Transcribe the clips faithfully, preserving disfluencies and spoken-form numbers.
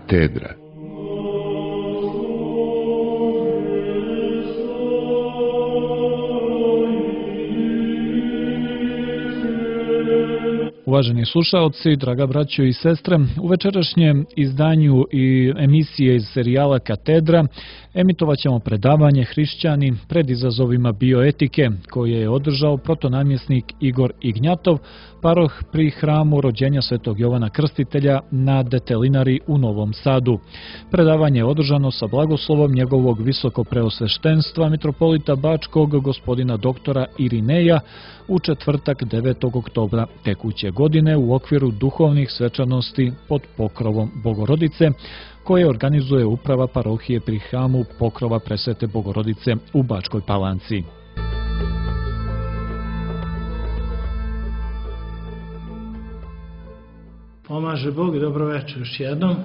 Katedra. Uvaženi slušaoci, draga braćo i sestre, u večerašnjem izdanju i emisije iz serijala Katedra emitovat ćemo predavanje Hrišćani pred izazovima bioetike koje je održao protonamjesnik Igor Ignjatov, paroh pri hramu rođenja Svetog Jovana Krstitelja na Detelinari u Novom Sadu. Predavanje je održano sa blagoslovom njegovog visokopreosveštenstva mitropolita Bačkog gospodina doktora Irineja u četvrtak devetog oktobra tekuće godine u okviru duhovnih svečanosti pod pokrovom Bogorodice, koje organizuje uprava parohije pri hramu Pokrova Presvete Bogorodice u Bačkoj Palanci. Pomaže Bog i dobro večer još jednom.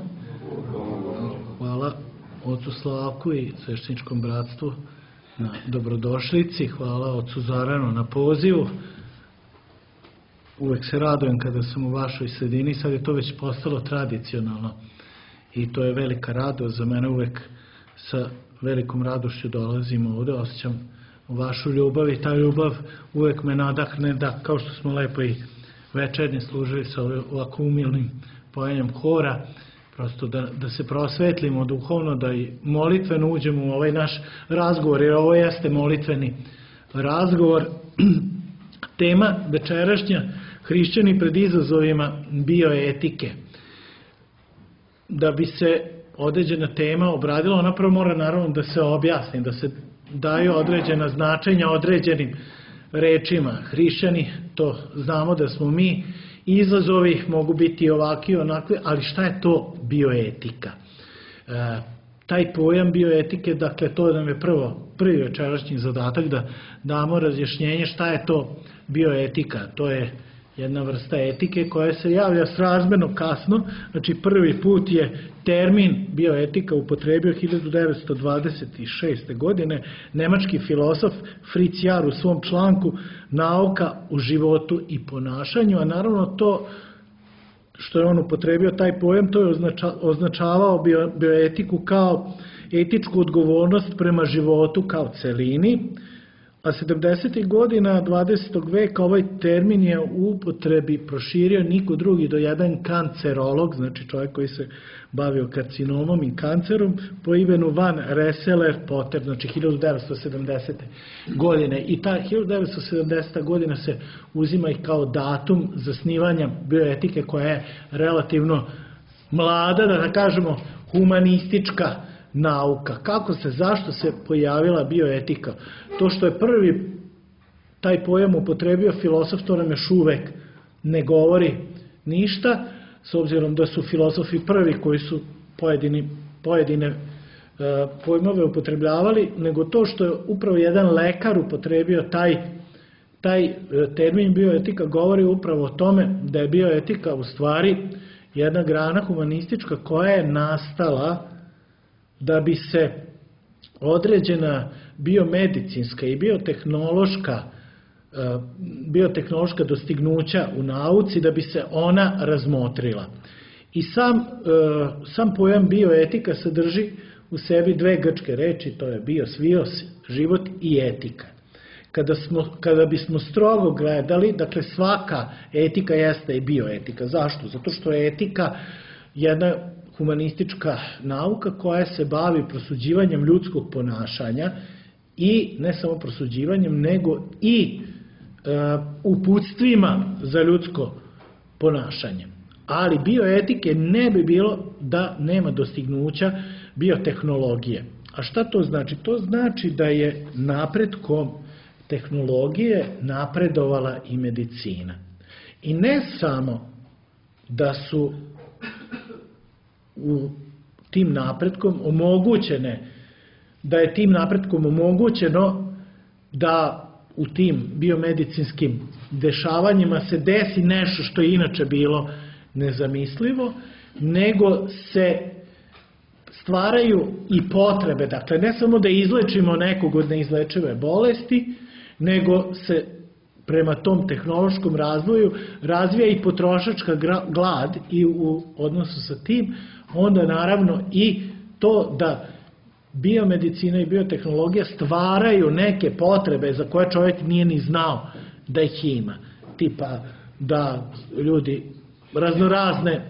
Hvala ocu Slavku i svešteničkom bratstvu na dobrodošlici. Hvala ocu Zoranu na pozivu. Uvek se radujem kada sam u vašoj sredini, sad je to već postalo tradicionalno i to je velika radost za mene. Uvek sa velikom radošću dolazim ovde, osjećam vašu ljubav i ta ljubav uvek me nadahne da, kao što smo lepo i večernje služili sa ovako umilnim pojenjem hora, prosto da, da se prosvetlimo duhovno, da i molitveno uđemo u ovaj naš razgovor, jer ovo jeste molitveni razgovor. Tema večerašnja: Hrišćani pred izazovima bioetike. Da bi se određena tema obradila, ona prvo mora naravno da se objasni, da se daju određena značenja određenim rečima. Hrišćani, to znamo da smo mi, izazovi mogu biti ovakvi i onakvi, ali šta je to bioetika? E, taj pojam bioetike, dakle, to nam je prvo, prvi večerašnji zadatak da damo razjašnjenje šta je to bioetika. To je jedna vrsta etike koja se javlja srazmerno kasno, znači prvi put je termin bioetika upotrebio hiljadu devetsto dvadeset šeste. godine nemački filozof Fritz Jar u svom članku Nauka u životu i ponašanju, a naravno to što je on upotrebio taj pojam, to je označavao bio, bioetiku kao etičku odgovornost prema životu kao celini, a sedamdesetih godina dvadesetog veka ovaj termin je u upotrebi proširio niko drugi do jedan kancerolog, znači čovjek koji se bavio karcinomom i kancerom, po imenu Van Rensselaer Potter, znači hiljadu devetsto sedamdesete. godine. I ta hiljadu devetsto sedamdeseta. godina se uzima i kao datum zasnivanja bioetike, koja je relativno mlada, da kažemo humanistička nauka. Kako se, zašto se pojavila bioetika? To što je prvi taj pojam upotrebio filozof, to nam još uvek ne govori ništa, s obzirom da su filozofi prvi koji su pojedini, pojedine e, pojmove upotrebljavali, nego to što je upravo jedan lekar upotrebio taj, taj termin bioetika govori upravo o tome da je bioetika u stvari jedna grana humanistička koja je nastala da bi se određena biomedicinska i biotehnološka, biotehnološka dostignuća u nauci, da bi se ona razmotrila. I sam, sam pojam bioetika sadrži u sebi dve grčke reči, to je bios, vios, život, i etika. Kada, smo, kada bismo strogo gledali, dakle svaka etika jeste i bioetika. Zašto? Zato što je etika jedna humanistička nauka koja se bavi prosuđivanjem ljudskog ponašanja i ne samo prosuđivanjem, nego i e, uputstvima za ljudsko ponašanje. Ali bioetike ne bi bilo da nema dostignuća biotehnologije. A šta to znači? To znači da je napretkom tehnologije napredovala i medicina. I ne samo da su u tim napretkom omogućene, da je tim napretkom omogućeno da u tim biomedicinskim dešavanjima se desi nešto što je inače bilo nezamislivo, nego se stvaraju i potrebe, dakle ne samo da izlečimo nekog od neizlečive bolesti, nego se prema tom tehnološkom razvoju razvija i potrošačka glad i u odnosu sa tim onda naravno i to da biomedicina i biotehnologija stvaraju neke potrebe za koje čovjek nije ni znao da ih ima. Tipa da ljudi raznorazne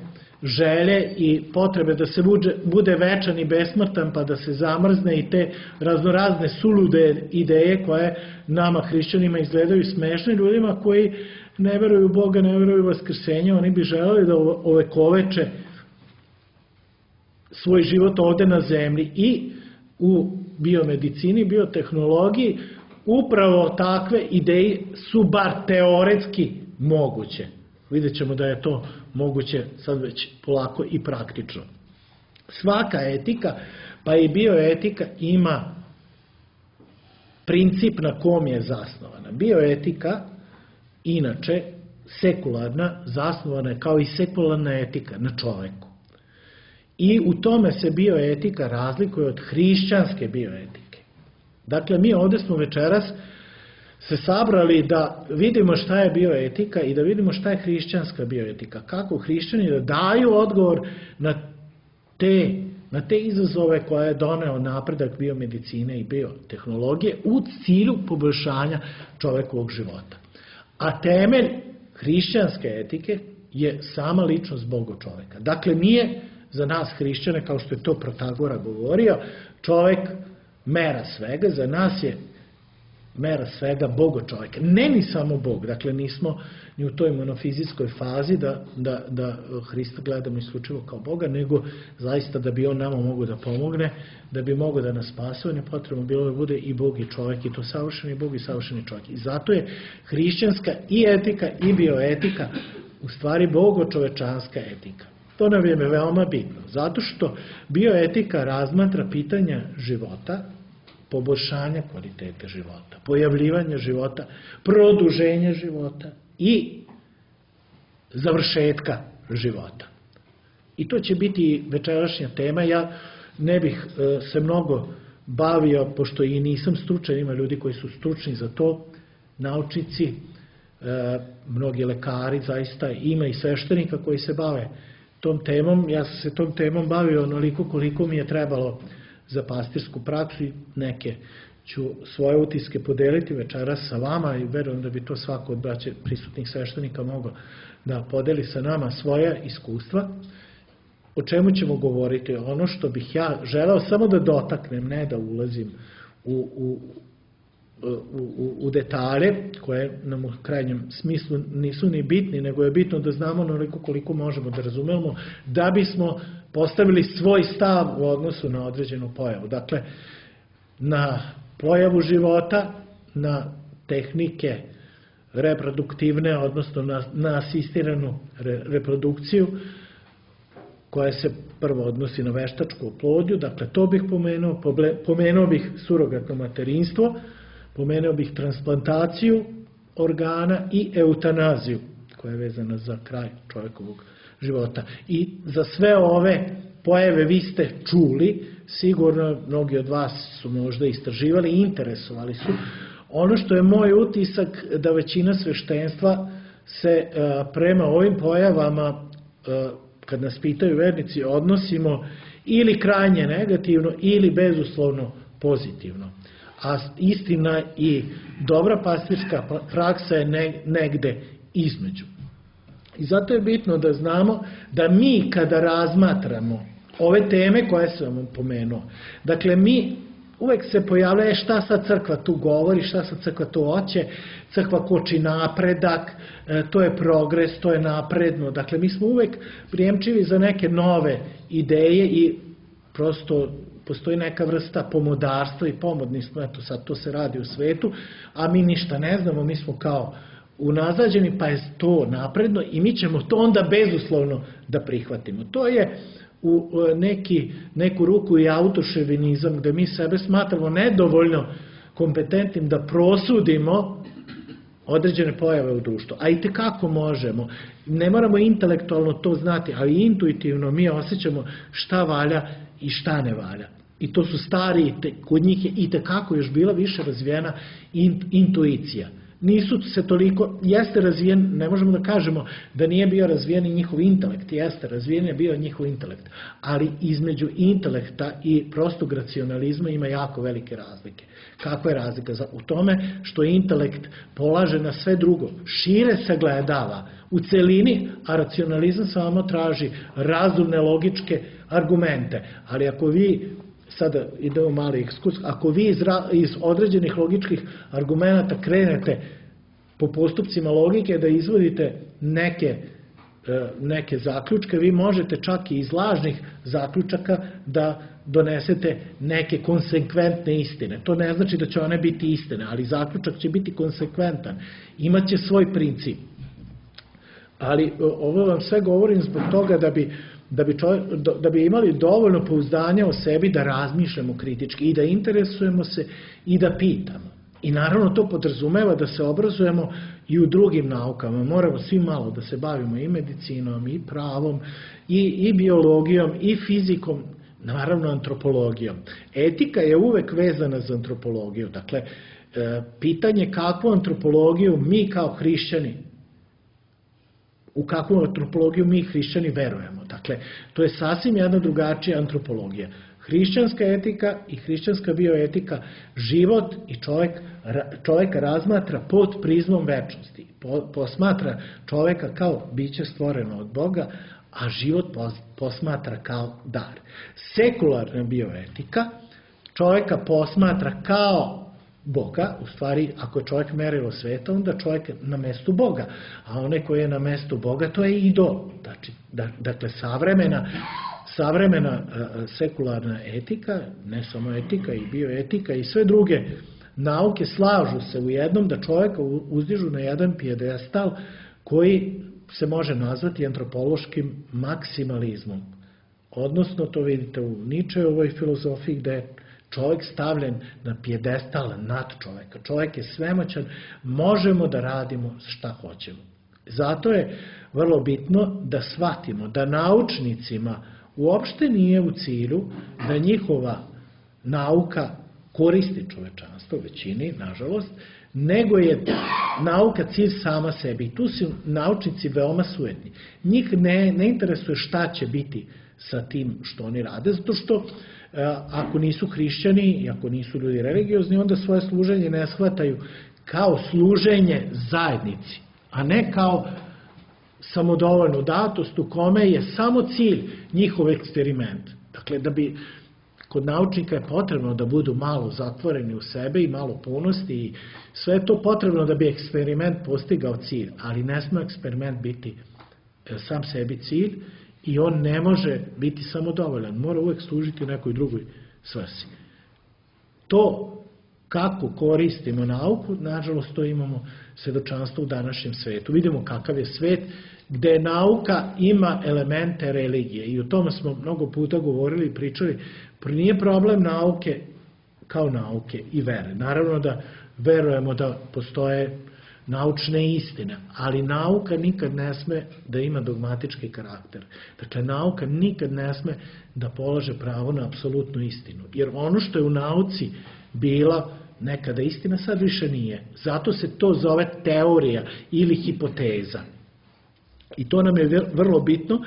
želje i potrebe da se bude večan i besmrtan pa da se zamrzne i te raznorazne sulude ideje koje nama hrišćanima izgledaju smešne, ljudima koji ne veruju u Boga, ne veruju u vaskrsenje, oni bi želeli da ovekoveče svoj život ovde na zemlji i u biomedicini, biotehnologiji upravo takve ideje su bar teoretski moguće. Vidjet ćemo da je to moguće sad već polako i praktično. Svaka etika, pa i bioetika ima princip na kom je zasnovana. Bioetika, inače, sekularna, zasnovana je kao i sekularna etika na čoveku. I u tome se bioetika razlikuje od hrišćanske bioetike. Dakle, mi ovde smo večeras se sabrali da vidimo šta je bioetika i da vidimo šta je hrišćanska bioetika. Kako hrišćani da daju odgovor na te, na te izazove koje je doneo napredak biomedicine i biotehnologije u cilju poboljšanja čovekovog života. A temelj hrišćanske etike je sama ličnost Boga čoveka. Dakle, nije za nas hrišćane, kao što je to Protagora govorio, čovek mera svega, za nas je mera svega Bogo čovjeka. Ne ni samo Bog, dakle nismo ni u toj monofizijskoj fazi da, da, da Hrista gledamo isključivo kao Boga, nego zaista da bi on nama mogao da pomogne, da bi mogao da nas spase, on je potrebno bilo da bude i Bog i čovjek, i to savršeni Bog i savršeni čovjek. I zato je hrišćanska i etika i bioetika u stvari bogo-čovečanska etika. To nam je veoma bitno, zato što bioetika razmatra pitanja života, poboljšanja kvalitete života, pojavljivanja života, produženja života i završetka života. I to će biti večerašnja tema. Ja ne bih se mnogo bavio, pošto i nisam stručan, ima ljudi koji su stručni za to, naučnici, mnogi lekari, zaista ima i sveštenika koji se bave tom temom. Ja sam se tom temom bavio onoliko koliko mi je trebalo za pastirsku praksu i neke ću svoje utiske podeliti večeras sa vama i verujem da bi to svako od braće prisutnih sveštenika mogao da podeli sa nama svoja iskustva. O čemu ćemo govoriti? Ono što bih ja želeo samo da dotaknem, ne da ulazim u, u, u, u detalje koje nam u krajnjem smislu nisu ni bitni, nego je bitno da znamo onoliko koliko možemo da razumemo da bismo postavili svoj stav u odnosu na određenu pojavu. Dakle, na pojavu života, na tehnike reproduktivne, odnosno na, na asistiranu re, reprodukciju, koja se prvo odnosi na veštačku oplodnju, dakle to bih pomenuo, pomenuo bih surogatno materinstvo, pomenuo bih transplantaciju organa i eutanaziju, koja je vezana za kraj čovjekovog života. I za sve ove pojave vi ste čuli, sigurno mnogi od vas su možda istraživali i interesovali su. Ono što je moj utisak da većina sveštenstva se prema ovim pojavama, kad nas pitaju vernici, odnosimo ili krajnje negativno ili bezuslovno pozitivno. A istina i dobra pastirska praksa je negde između. I zato je bitno da znamo da mi kada razmatramo ove teme koje sam vam pomenuo, dakle mi uvek se pojavlja šta sad crkva tu govori, šta sad crkva tu hoće, crkva koči napredak, to je progres, to je napredno. Dakle, mi smo uvek prijemčivi za neke nove ideje i prosto postoji neka vrsta pomodarstva i pomodni smo, eto sad to se radi u svetu, a mi ništa ne znamo, mi smo kao unazađeni, pa je to napredno i mi ćemo to onda bezuslovno da prihvatimo. To je u neki, neku ruku i autoševinizam, gde mi sebe smatramo nedovoljno kompetentnim da prosudimo određene pojave u društvu. A i tekako možemo. Ne moramo intelektualno to znati, ali intuitivno mi osjećamo šta valja i šta ne valja. I to su stari, kod njih je i tekako još bila više razvijena intuicija. nisu se toliko, jeste razvijen, ne možemo da kažemo da nije bio razvijen i njihov intelekt, jeste razvijen je bio njihov intelekt, ali između intelekta i prostog racionalizma ima jako velike razlike. Kakva je razlika? U tome što intelekt polaže na sve drugo, šire sagledava u celini, a racionalizam samo traži razumne, logičke argumente. Ali ako vi, sada idemo mali ekskurs, ako vi iz, iz određenih logičkih argumenta krenete po postupcima logike da izvodite neke, neke zaključke, vi možete čak i iz lažnih zaključaka da donesete neke konsekventne istine. To ne znači da će one biti istine, ali zaključak će biti konsekventan, imaće svoj princip. Ali ovo vam sve govorim zbog toga da bi, da bi, čovjek, da bi imali dovoljno pouzdanja o sebi da razmišljamo kritički i da interesujemo se i da pitamo. I naravno to podrazumeva da se obrazujemo i u drugim naukama. Moramo svi malo da se bavimo i medicinom, i pravom, i, i biologijom, i fizikom, naravno antropologijom. Etika je uvek vezana za antropologiju. Dakle, pitanje kakvu antropologiju mi kao hrišćani, u kakvu antropologiju mi hrišćani verujemo. Dakle, to je sasvim jedna drugačija antropologija. Hrišćanska etika i hrišćanska bioetika život i čovjek, čovjeka razmatra pod prizmom večnosti. Posmatra čovjeka kao biće stvoreno od Boga, a život posmatra kao dar. Sekularna bioetika čovjeka posmatra kao Boga, u stvari ako je čovjek merilo sveta, onda čovjek na mestu Boga, a onaj koji je na mestu Boga, to je idol. Znači, dakle, savremena, savremena sekularna etika, ne samo etika i bioetika i sve druge nauke slažu se u jednom da čovjeka uzdižu na jedan pijedestal koji se može nazvati antropološkim maksimalizmom. Odnosno, to vidite u Ničeovoj filozofiji gde je čovjek stavljen na pijedestal nad čovjeka. Čovjek je svemoćan, možemo da radimo šta hoćemo. Zato je vrlo bitno da shvatimo da naučnicima uopšte nije u cilju da njihova nauka koristi čovečanstvo, većini, nažalost, nego je nauka cilj sama sebi. I tu su naučnici veoma sujetni. Njih ne, ne interesuje šta će biti sa tim što oni rade, zato što ako nisu hrišćani i ako nisu ljudi religiozni, onda svoje služenje ne shvataju kao služenje zajednici, a ne kao samodovoljnu datost u kome je samo cilj njihov eksperiment. Dakle, da bi kod naučnika je potrebno da budu malo zatvoreni u sebe i malo punosti i sve je to potrebno da bi eksperiment postigao cilj, ali ne sme eksperiment biti sam sebi cilj i on ne može biti samodovoljan, mora uvek služiti u nekoj drugoj svrsi. To kako koristimo nauku, nažalost to imamo svedočanstvo u današnjem svetu. Vidimo kakav je svet gde nauka ima elemente religije i o tome smo mnogo puta govorili i pričali. Nije problem nauke kao nauke i vere. Naravno da verujemo da postoje naučne istine, ali nauka nikad ne sme da ima dogmatički karakter. Dakle, nauka nikad ne sme da polaže pravo na apsolutnu istinu. Jer ono što je u nauci bila nekada istina, sad više nije. Zato se to zove teorija ili hipoteza. I to nam je vrlo bitno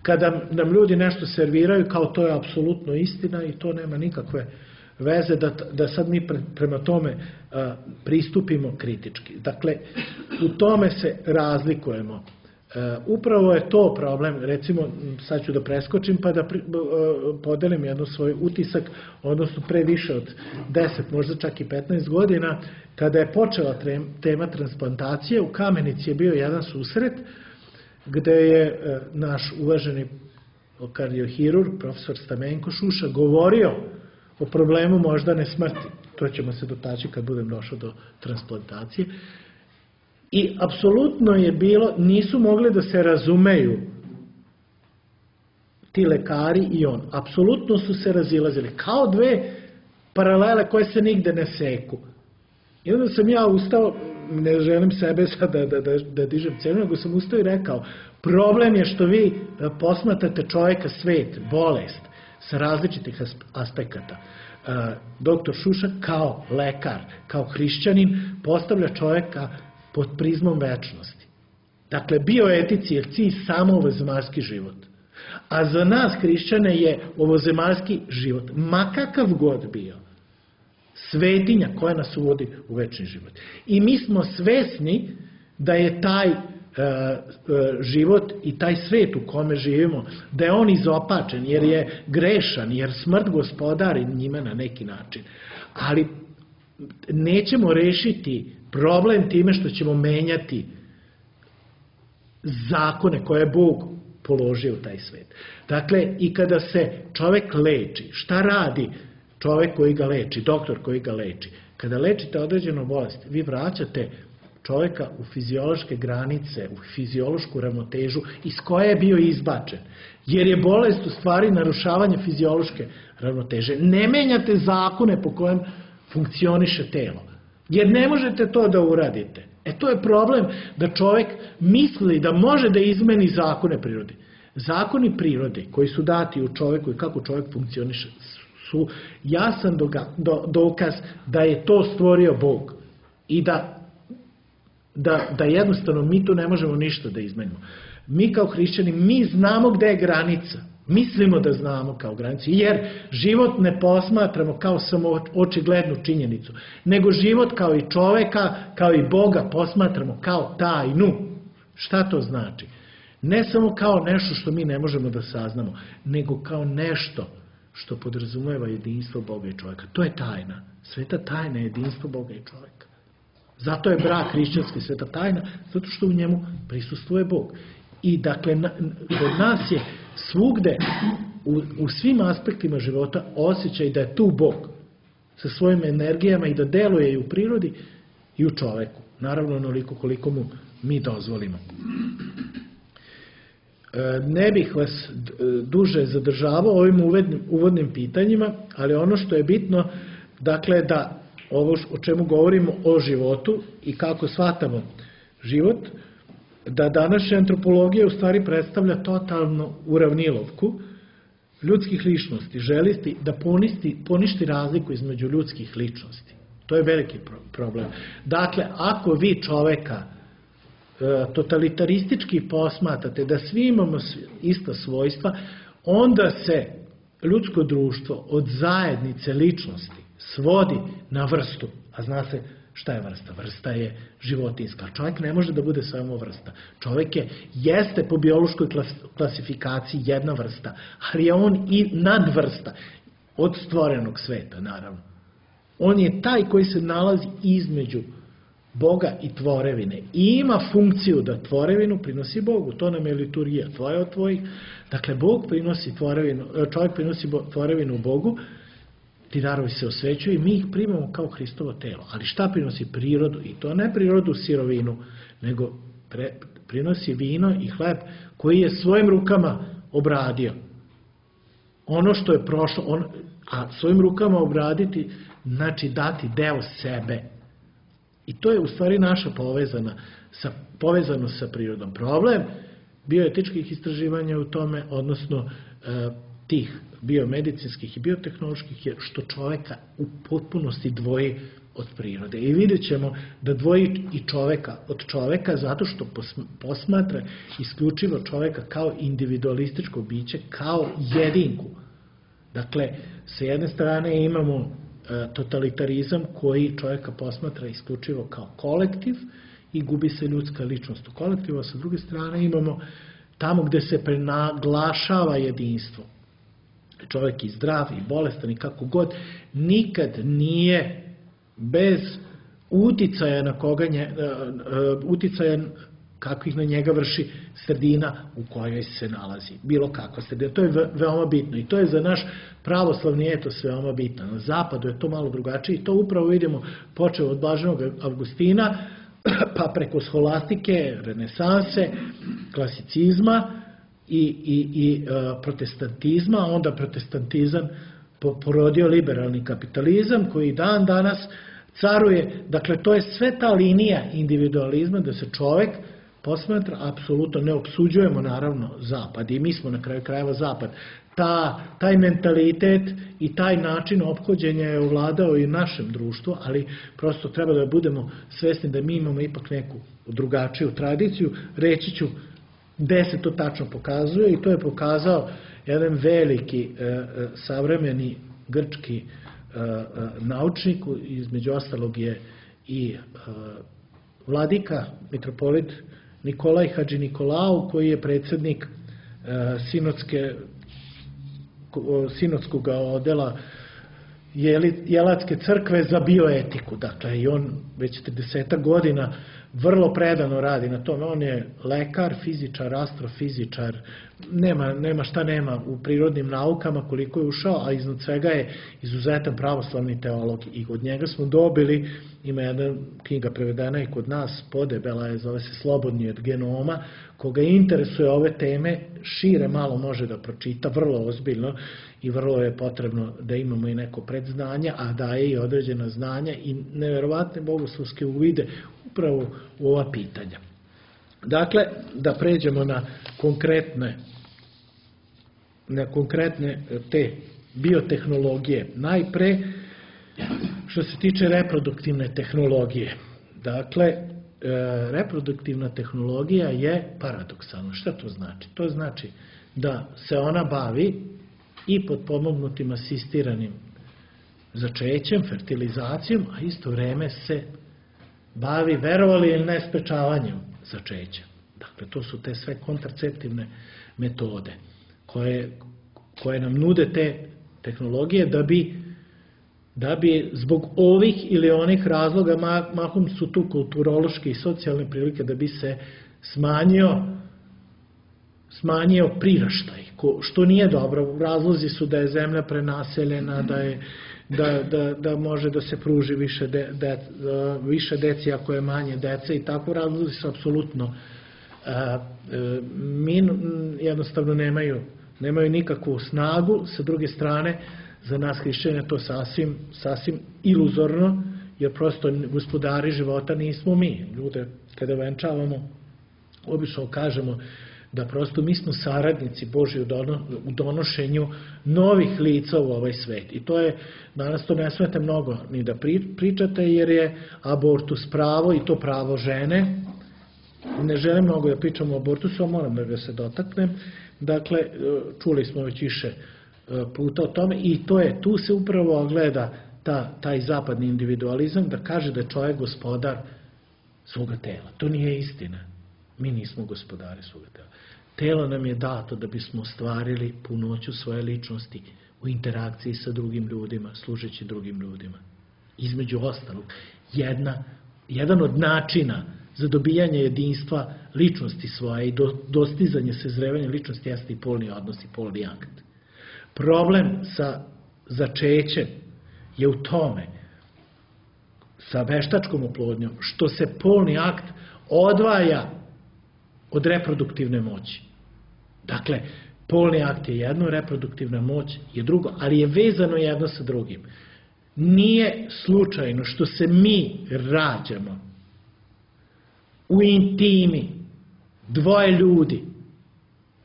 kada nam ljudi nešto serviraju kao to je apsolutno istina i to nema nikakve veze da, da sad mi pre, prema tome a, pristupimo kritički. Dakle, u tome se razlikujemo. A, upravo je to problem, recimo, sad ću da preskočim pa da pri, a, podelim jedno svoj utisak, odnosno pre više od deset, možda čak i petnaest godina, kada je počela tema transplantacije, u Kamenici je bio jedan susret gde je a, naš uvaženi kardiohirurg, profesor Stamenko Šuša, govorio o problemu moždane smrti. To ćemo se dotaći kad budem došao do transplantacije. I apsolutno je bilo, nisu mogli da se razumeju ti lekari i on. Apsolutno su se razilazili. Kao dve paralele koje se nigde ne seku. I onda sam ja ustao, ne želim sebe sad da, da, da, da dižem cenu, nego sam ustao i rekao, problem je što vi posmatrate čovjeka svet, bolest, sa različitih aspekata. Doktor Šušak kao lekar, kao hrišćanin postavlja čoveka pod prizmom večnosti. Dakle, bioetici je cilj samo ovozemaljski život. A za nas hrišćane je ovozemaljski život, ma kakav god bio, svetinja koja nas uvodi u večni život. I mi smo svesni da je taj e, e, život i taj svet u kome živimo, da je on izopačen, jer je grešan, jer smrt gospodari njime na neki način. Ali nećemo rešiti problem time što ćemo menjati zakone koje je Bog položio u taj svet. Dakle, i kada se čovek leči, šta radi čovek koji ga leči, doktor koji ga leči? Kada lečite određenu bolest, vi vraćate čoveka u fiziološke granice, u fiziološku ravnotežu iz koje je bio izbačen. Jer je bolest u stvari narušavanje fiziološke ravnoteže. Ne menjate zakone po kojem funkcioniše telo. Jer ne možete to da uradite. E to je problem da čovek misli da može da izmeni zakone prirode. Zakoni prirode koji su dati u čoveku i kako čovek funkcioniše su jasan dokaz da je to stvorio Bog i da, da, da jednostavno mi tu ne možemo ništa da izmenimo. Mi kao hrišćani, mi znamo gde je granica. Mislimo da znamo kao granicu, jer život ne posmatramo kao samo očiglednu činjenicu, nego život kao i čoveka, kao i Boga posmatramo kao tajnu. Šta to znači? Ne samo kao nešto što mi ne možemo da saznamo, nego kao nešto što podrazumeva jedinstvo Boga i čoveka. To je tajna. Sveta tajna je jedinstvo Boga i čoveka. Zato je brak hrišćanski sveta tajna, zato što u njemu prisustvuje Bog. I dakle, kod nas je svugde, u, u svim aspektima života, osjećaj da je tu Bog sa svojim energijama i da deluje i u prirodi i u čoveku. Naravno, onoliko koliko mu mi dozvolimo. Ne bih vas duže zadržavao ovim uvodnim, uvodnim pitanjima, ali ono što je bitno, dakle, da ovo o čemu govorimo o životu i kako shvatamo život, da današnja antropologija u stvari predstavlja totalnu uravnilovku ljudskih ličnosti, želisti da poništi, poništi razliku između ljudskih ličnosti. To je veliki problem. Dakle, ako vi čoveka e, totalitaristički posmatrate da svi imamo ista svojstva, onda se ljudsko društvo od zajednice ličnosti svodi na vrstu, a zna se šta je vrsta? Vrsta je životinjska. Čovjek ne može da bude samo vrsta. Čovjek je, jeste po biološkoj klasifikaciji jedna vrsta, ali je on i nadvrsta od stvorenog sveta, naravno. On je taj koji se nalazi između Boga i tvorevine. I ima funkciju da tvorevinu prinosi Bogu. To nam je liturgija. Tvoje od tvojih. Dakle, Bog prinosi tvorevinu, čovjek prinosi tvorevinu Bogu, ti darovi se osvećuju i mi ih primamo kao Hristovo telo. Ali šta prinosi? Prirodu. I to ne prirodu sirovinu, nego pre, prinosi vino i hleb koji je svojim rukama obradio. Ono što je prošlo, on, a svojim rukama obraditi znači dati deo sebe. I to je u stvari naša povezana, sa, povezano sa prirodom. Problem bioetičkih istraživanja u tome, odnosno e, tih biomedicinskih i biotehnoloških, je što čoveka u potpunosti dvoji od prirode. I vidjet ćemo da dvoji i čoveka od čoveka zato što posmatra isključivo čoveka kao individualističko biće, kao jedinku. Dakle, sa jedne strane imamo totalitarizam koji čovjeka posmatra isključivo kao kolektiv i gubi se ljudska ličnost u kolektivu, a sa druge strane imamo tamo gde se prenaglašava jedinstvo. Čovjek je zdrav i bolestan i kako god, nikad nije bez uticaja na koga nje, uticaja kakvih na njega vrši sredina u kojoj se nalazi. Bilo kakva sredina. To je veoma bitno i to je za naš pravoslavni etos veoma bitno. Na zapadu je to malo drugačije i to upravo vidimo počeo od Blaženog Avgustina pa preko sholastike, renesanse, klasicizma i, i, i uh, protestantizma, onda protestantizam porodio liberalni kapitalizam koji dan danas caruje. Dakle, to je sve ta linija individualizma da se čovek posmatra, apsolutno ne opsuđujemo naravno zapad i mi smo na kraju krajeva zapad ta, taj mentalitet i taj način ophođenja je ovladao i našem društvu, ali prosto treba da budemo svesni da mi imamo ipak neku drugačiju tradiciju. Reći ću gde se to tačno pokazuje, i to je pokazao jedan veliki e, savremeni grčki e, e, naučnik, između ostalog je i e, vladika, mitropolit Nikolaj Hadži Nikolau, koji je predsjednik e, sinodske sinodskog odela Jelatske crkve za bioetiku. Dakle, i on već trideset godina vrlo predano radi na tome. On je lekar, fizičar, astrofizičar, nema, nema šta nema u prirodnim naukama koliko je ušao, a iznad svega je izuzetan pravoslavni teolog. I od njega smo dobili, ima jedna knjiga prevedena i kod nas, podebela je, zove se Slobodni od genoma, koga interesuje ove teme, šire malo može da pročita, vrlo ozbiljno, i vrlo je potrebno da imamo i neko predznanje, a daje i određena znanja i neverovatne bogoslovske uvide upravo u ova pitanja. Dakle, da pređemo na konkretne, na konkretne te biotehnologije. Najpre, što se tiče reproduktivne tehnologije. Dakle, reproduktivna tehnologija je paradoksalna. Šta to znači? To znači da se ona bavi i potpomognutim asistiranim začećem, fertilizacijom, a isto vreme se bavi, verovali ili ne, sprečavanjem začeća. Dakle, to su te sve kontraceptivne metode koje, koje nam nude te tehnologije da bi, da bi zbog ovih ili onih razloga, mahom su tu kulturološke i socijalne prilike, da bi se smanjio smanjio priraštaj, što nije dobro. Razlozi su da je zemlja prenaseljena, da, je, da, da, da može da se pruži više, de, de, više deci ako je manje dece, i tako razlozi su apsolutno min, jednostavno nemaju, nemaju nikakvu snagu. Sa druge strane, za nas hrišćane to sasvim, sasvim iluzorno, jer prosto gospodari života nismo mi. Ljude, kada venčavamo, obično kažemo da prosto mi smo saradnici Božji u donošenju novih lica u ovaj svet. I to je, danas to ne smete mnogo ni da pričate, jer je abortus pravo, i to pravo žene. Ne želim mnogo da pričam o abortusu, a moram da ga se dotaknem. Dakle, čuli smo već više puta o tome, i to je, tu se upravo gleda ta, taj zapadni individualizam, da kaže da je čovjek gospodar svoga tela. To nije istina. Mi nismo gospodari svoga tela. Telo nam je dato da bismo ostvarili punoću svoje ličnosti u interakciji sa drugim ljudima, služeći drugim ljudima. Između ostalog, jedna, jedan od načina za dobijanje jedinstva ličnosti svoje i do, dostizanje sazrevanja ličnosti jeste i polni odnos i polni akt. Problem sa začećem je u tome, sa veštačkom oplodnjom, što se polni akt odvaja od reproduktivne moći. Dakle, polni akt je jedno, reproduktivna moć je drugo, ali je vezano jedno sa drugim. Nije slučajno što se mi rađamo u intimi dvoje ljudi,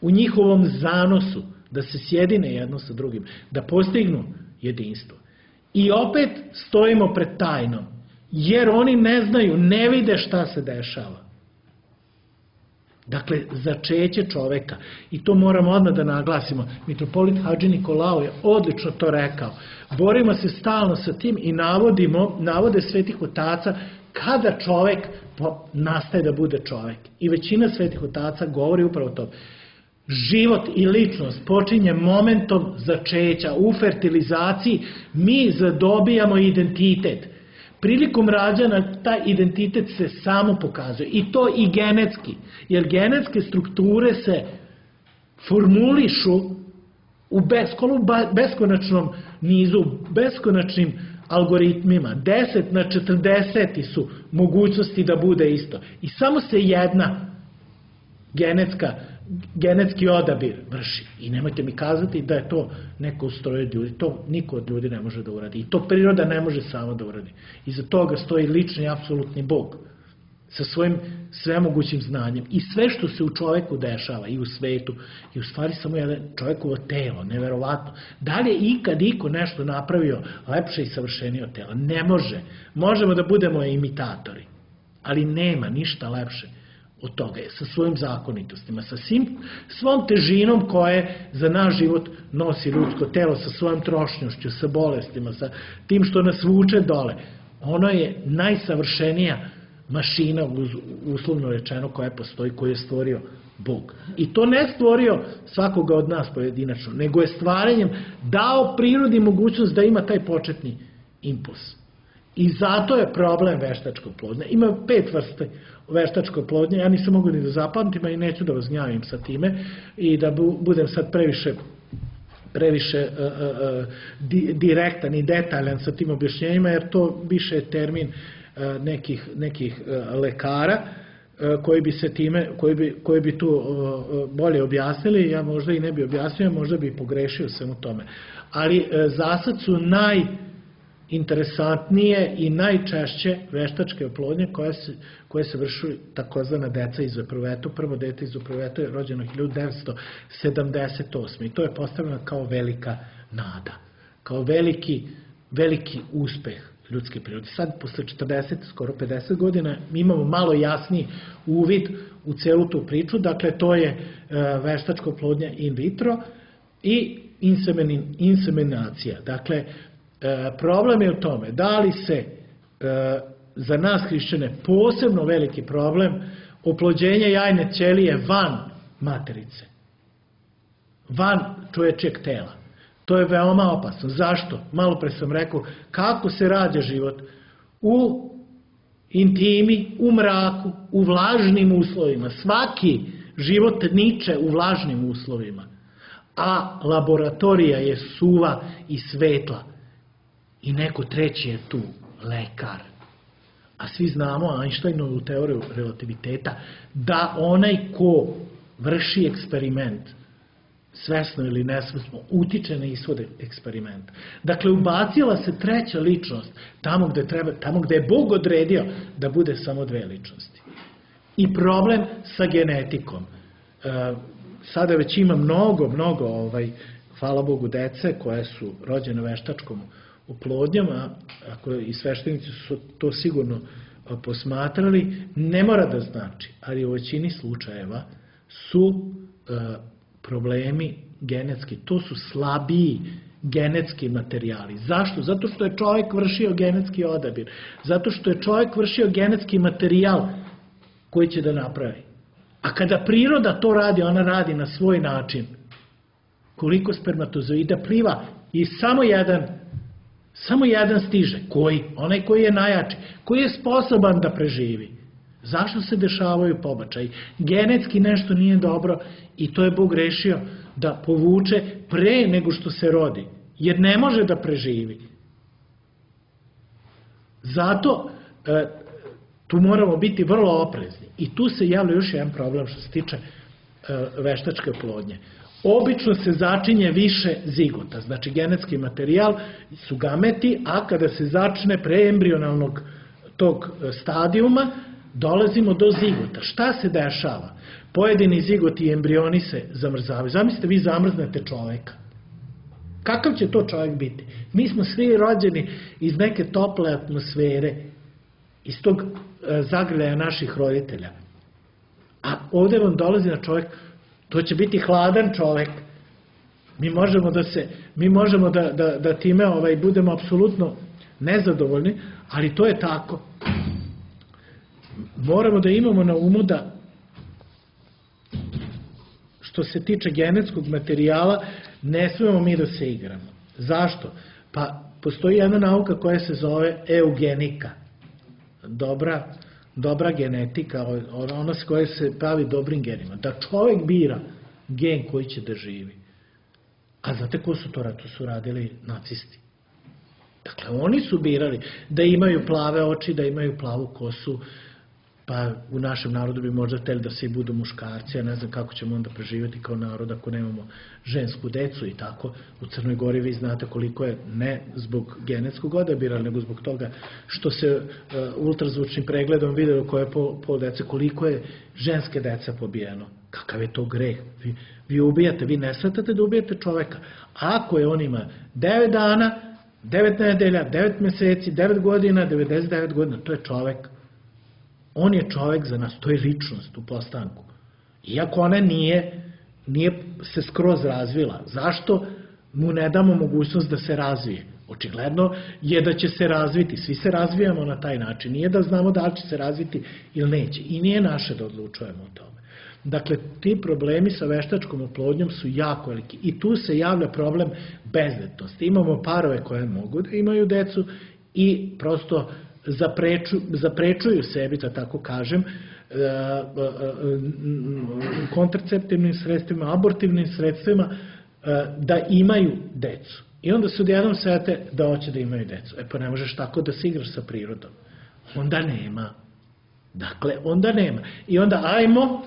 u njihovom zanosu, da se sjedine jedno sa drugim, da postignu jedinstvo. I opet stojimo pred tajnom, jer oni ne znaju, ne vide šta se dešava. Dakle, začeće čoveka, i to moramo odmah da naglasimo, mitropolit Hadži Nikolao je odlično to rekao. Borimo se stalno sa tim i navodimo, navode svetih otaca kada čovek nastaje da bude čovek. I većina svetih otaca govori upravo to. Život i ličnost počinje momentom začeća. U fertilizaciji mi zadobijamo identitet. Prilikom rađanja taj identitet se samo pokazuje, i to i genetski, jer genetske strukture se formulišu u beskonačnom nizu, beskonačnim algoritmima. deset na četrdeset su mogućnosti da bude isto. I samo se jedna genetska, genetski odabir vrši. I nemojte mi kazati da je to neko ustroje ljudi. To niko od ljudi ne može da uradi. I to priroda ne može samo da uradi. Iza toga stoji lični, apsolutni Bog. sa svojim svemogućim znanjem. I sve što se u čoveku dešava i u svetu je u stvari samo jedan čovekovo telo, neverovatno. Da li je ikad iko nešto napravio lepše i savršenije od tela? Ne može. Možemo da budemo imitatori, ali nema ništa lepše od toga, sa svojim zakonitostima, sa svim, svom težinom koje za naš život nosi ljudsko telo, sa svojom trošnjošću, sa bolestima, sa tim što nas vuče dole. Ono je najsavršenija mašina, uslovno rečeno, koja postoji, koju je stvorio Bog. I to ne stvorio svakoga od nas pojedinačno, nego je stvaranjem dao prirodi mogućnost da ima taj početni impuls. I zato je problem veštačka oplodnja. Ima pet vrsta veštačke oplodnje, ja nisam mogu ni da zapamtim, a i neću da vas gnjavim sa time i da budem sad previše previše uh, uh, di, direktan i detaljan sa tim objašnjenjima, jer to više je termin uh, nekih, nekih uh, lekara uh, koji bi se time, koji bi, koji bi tu uh, bolje objasnili, ja možda i ne bi objasnio, možda bi pogrešio sam u tome. Ali uh, zasad su naj interesantnije i najčešće veštačke oplodnje koje se, koje se vršu takozvana deca iz epruveta. Prvo dete iz epruveta je rođeno hiljadu devetsto sedamdeset osme. I to je postavljeno kao velika nada, kao veliki, veliki uspeh ljudske prirode. Sad, posle četrdeset, skoro pedeset godina, mi imamo malo jasniji uvid u celu tu priču. Dakle, to je uh, veštačka oplodnja in vitro i insemin, inseminacija. Dakle, E, problem je u tome da li se e, za nas hrišćane posebno veliki problem oplođenje jajne ćelije van materice, van čovječjeg tela. To je veoma opasno. Zašto? Malo pre sam rekao kako se rađa život u intimi, u mraku, u vlažnim uslovima. Svaki život niče u vlažnim uslovima, a laboratorija je suva i svetla. I neko treći je tu, lekar. A svi znamo Einsteinovu teoriju relativiteta, da onaj ko vrši eksperiment, svesno ili nesvesno, utiče na ishode eksperimenta. Dakle, ubacila se treća ličnost tamo gde, treba, tamo gde je Bog odredio da bude samo dve ličnosti. I problem sa genetikom. E, sada već ima mnogo, mnogo, ovaj, hvala Bogu, dece koje su rođene veštačkom oplodnjom, a ako i sveštenici su to sigurno posmatrali, ne mora da znači, ali u većini slučajeva su e, problemi genetski, to su slabiji genetski materijali. Zašto? Zato što je čovjek vršio genetski odabir, zato što je čovjek vršio genetski materijal koji će da napravi. A kada priroda to radi, ona radi na svoj način. Koliko spermatozoida pliva i samo jedan Samo jedan stiže. Koji? Onaj koji je najjači. Koji je sposoban da preživi. Zašto se dešavaju pobačaji? Genetski nešto nije dobro i to je Bog rešio da povuče pre nego što se rodi. Jer ne može da preživi. Zato e, tu moramo biti vrlo oprezni. I tu se javlja još jedan problem što se tiče e, veštačke oplodnje. Obično se začinje više zigota, znači genetski materijal su gameti, a kada se začne preembrionalnog tog stadijuma, dolazimo do zigota. Šta se dešava? Pojedini zigoti i embrioni se zamrzavaju. Zamislite, vi zamrznete čoveka. Kakav će to čovjek biti? Mi smo svi rođeni iz neke tople atmosfere, iz tog zagrljaja naših roditelja. A ovdje vam dolazi na čovjek, to će biti hladan čovjek. Mi možemo da se, mi možemo da, da, da time ovaj, budemo apsolutno nezadovoljni, ali to je tako. Moramo da imamo na umu da što se tiče genetskog materijala ne smemo mi da se igramo. Zašto? Pa postoji jedna nauka koja se zove eugenika. Dobra dobra genetika, ona s koja se pravi dobrim genima. Da čovjek bira gen koji će da živi. A znate ko su to? To su radili nacisti. Dakle, oni su birali da imaju plave oči, da imaju plavu kosu, pa u našem narodu bi možda hteli da se i budu muškarci, ja ne znam kako ćemo onda preživjeti kao narod ako nemamo žensku decu i tako. U Crnoj Gori vi znate koliko je, ne zbog genetskog odabira, nego zbog toga što se uh, ultrazvučnim pregledom video koje je po, po dece, koliko je ženske dece pobijeno. Kakav je to greh? Vi, vi ubijate, vi ne svatate da ubijate čoveka. Ako je on ima devet dana, devet nedelja, devet meseci, devet godina, devedeset devet godina, to je čovek. On je čovek za nas, to je ličnost u postanku. Iako ona nije, nije se skroz razvila. Zašto mu ne damo mogućnost da se razvije? Očigledno je da će se razviti. Svi se razvijamo na taj način. Nije da znamo da li će se razviti ili neće. I nije naše da odlučujemo o tome. Dakle, ti problemi sa veštačkom oplodnjom su jako veliki. I tu se javlja problem bezdetnosti. Imamo parove koje mogu da imaju decu i prosto Zapreču, zaprečuju sebi, da tako kažem, kontraceptivnim sredstvima, abortivnim sredstvima, da imaju decu. I onda se odjednom sete da hoće da imaju decu. E pa ne možeš tako da se igraš sa prirodom. Onda nema. Dakle, onda nema. I onda ajmo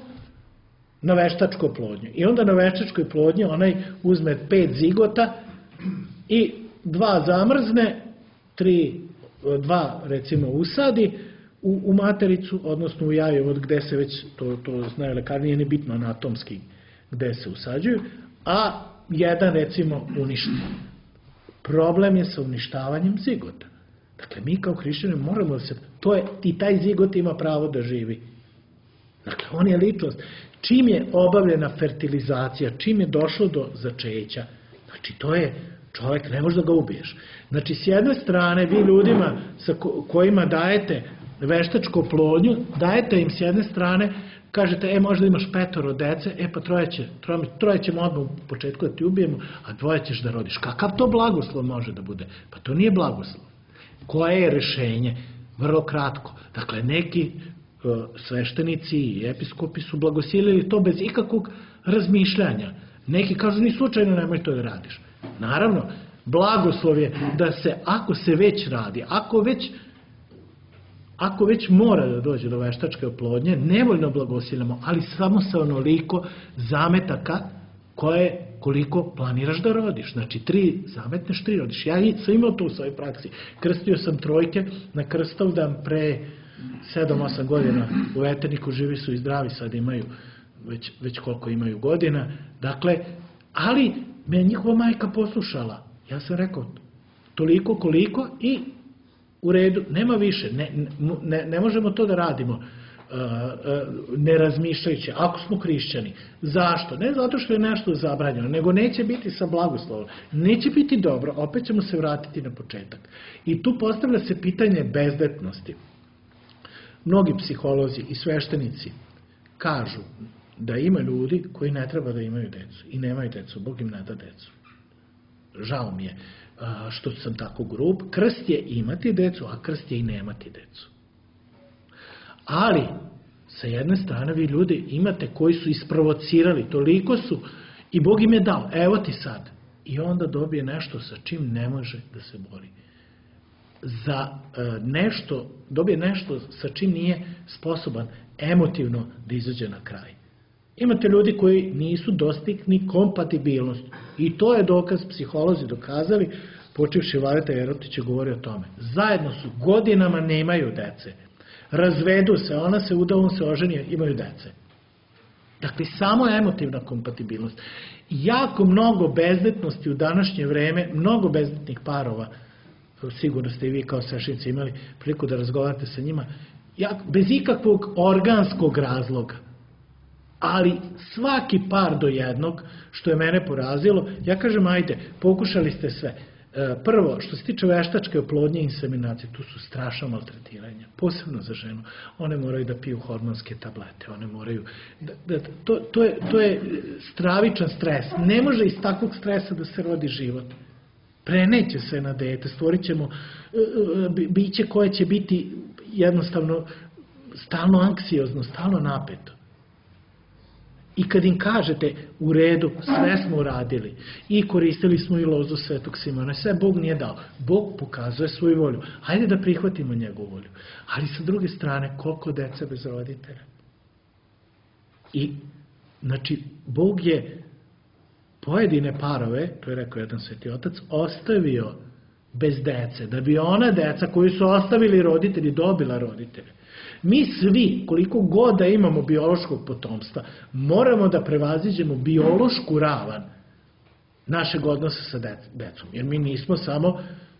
na veštačku oplodnju. I onda na veštačkoj oplodnji onaj uzme pet zigota i dva zamrzne, tri dva, recimo, usadi u, u matericu, odnosno u jaje, od gde se već, to, to znaju lekari, nije ni bitno anatomski gde se usađuju, a jedan, recimo, uništi. Problem je sa uništavanjem zigota. Dakle, mi kao hrišćani moramo da se, to je, i taj zigot ima pravo da živi. Dakle, on je ličnost. Čim je obavljena fertilizacija, čim je došlo do začeća, znači, to je čovjek, ne može da ga ubiješ. Znači, s jedne strane, vi ljudima sa kojima dajete veštačku oplodnju, dajete im s jedne strane, kažete, e, možda imaš petoro dece, e, pa troje, će, troje, troje ćemo odmah u početku da ti ubijemo, a dvoje ćeš da rodiš. Kakav to blagoslov može da bude? Pa to nije blagoslov. Koje je rešenje? Vrlo kratko. Dakle, neki uh, sveštenici i episkopi su blagosilili to bez ikakvog razmišljanja. Neki kažu, ni slučajno nemoj to da radiš. Naravno, blagoslov je da se, ako se već radi, ako već, ako već mora da dođe do veštačke oplodnje, nevoljno blagosiljamo, ali samo sa onoliko zametaka koje, koliko planiraš da rodiš. Znači, tri zametneš, tri rodiš. Ja sam imao to u svojoj praksi. Krstio sam trojke na Krstavdan pre sedam osam godina u Veterniku, živi su i zdravi, sad imaju već, već koliko imaju godina. Dakle, ali me je njihova majka poslušala. Ja sam rekao, toliko koliko i u redu, nema više, ne, ne, ne možemo to da radimo uh, uh, ne razmišljajući, ako smo hrišćani. Zašto? Ne zato što je nešto zabranjeno, nego neće biti sa blagoslovom, neće biti dobro, opet ćemo se vratiti na početak. I tu postavlja se pitanje bezdetnosti. Mnogi psiholozi i sveštenici kažu da ima ljudi koji ne treba da imaju decu i nemaju decu, Bog im ne da decu. Žao mi je što sam tako grub. Krst je imati decu, a krst je i nemati decu. Ali, sa jedne strane, vi ljudi imate koji su isprovocirali, toliko su, i Bog im je dao, evo ti sad. I onda dobije nešto sa čim ne može da se bori. Za nešto, dobije nešto sa čim nije sposoban emotivno da izađe na kraj. Imate ljudi koji nisu dostigni kompatibilnost. I to je dokaz, psiholozi dokazali, počevši Vladeta Jerotić je govorio o tome. Zajedno su, godinama nemaju dece. Razvedu se, ona se uda, on se oženi, imaju dece. Dakle, samo emotivna kompatibilnost. Jako mnogo bezdetnosti u današnje vreme, mnogo bezdetnih parova, sigurno ste i vi kao svešenici imali priliku da razgovarate sa njima, bez ikakvog organskog razloga. Ali svaki par do jednog, što je mene porazilo, ja kažem, ajde, pokušali ste sve. Prvo, što se tiče veštačke oplodnje i inseminacije, tu su strašna maltretiranja, posebno za ženu. One moraju da piju hormonske tablete, one moraju, da, da, to, to, je, to je stravičan stres. Ne može iz takvog stresa da se rodi život. Preneće se na dete, stvorit ćemo biće koje će biti jednostavno stalno anksiozno, stalno napeto. I kad im kažete u redu, sve smo uradili i koristili smo i lozu Svetog Simona, sve Bog nije dao. Bog pokazuje svoju volju. Hajde da prihvatimo njegovu volju. Ali sa druge strane, koliko deca bez roditelja? I, znači, Bog je pojedine parove, to je rekao jedan sveti otac, ostavio bez dece, da bi ona deca koju su ostavili roditelji dobila roditelje. Mi svi, koliko god da imamo biološkog potomstva, moramo da prevaziđemo biološku ravan našeg odnosa sa decom. Jer mi nismo samo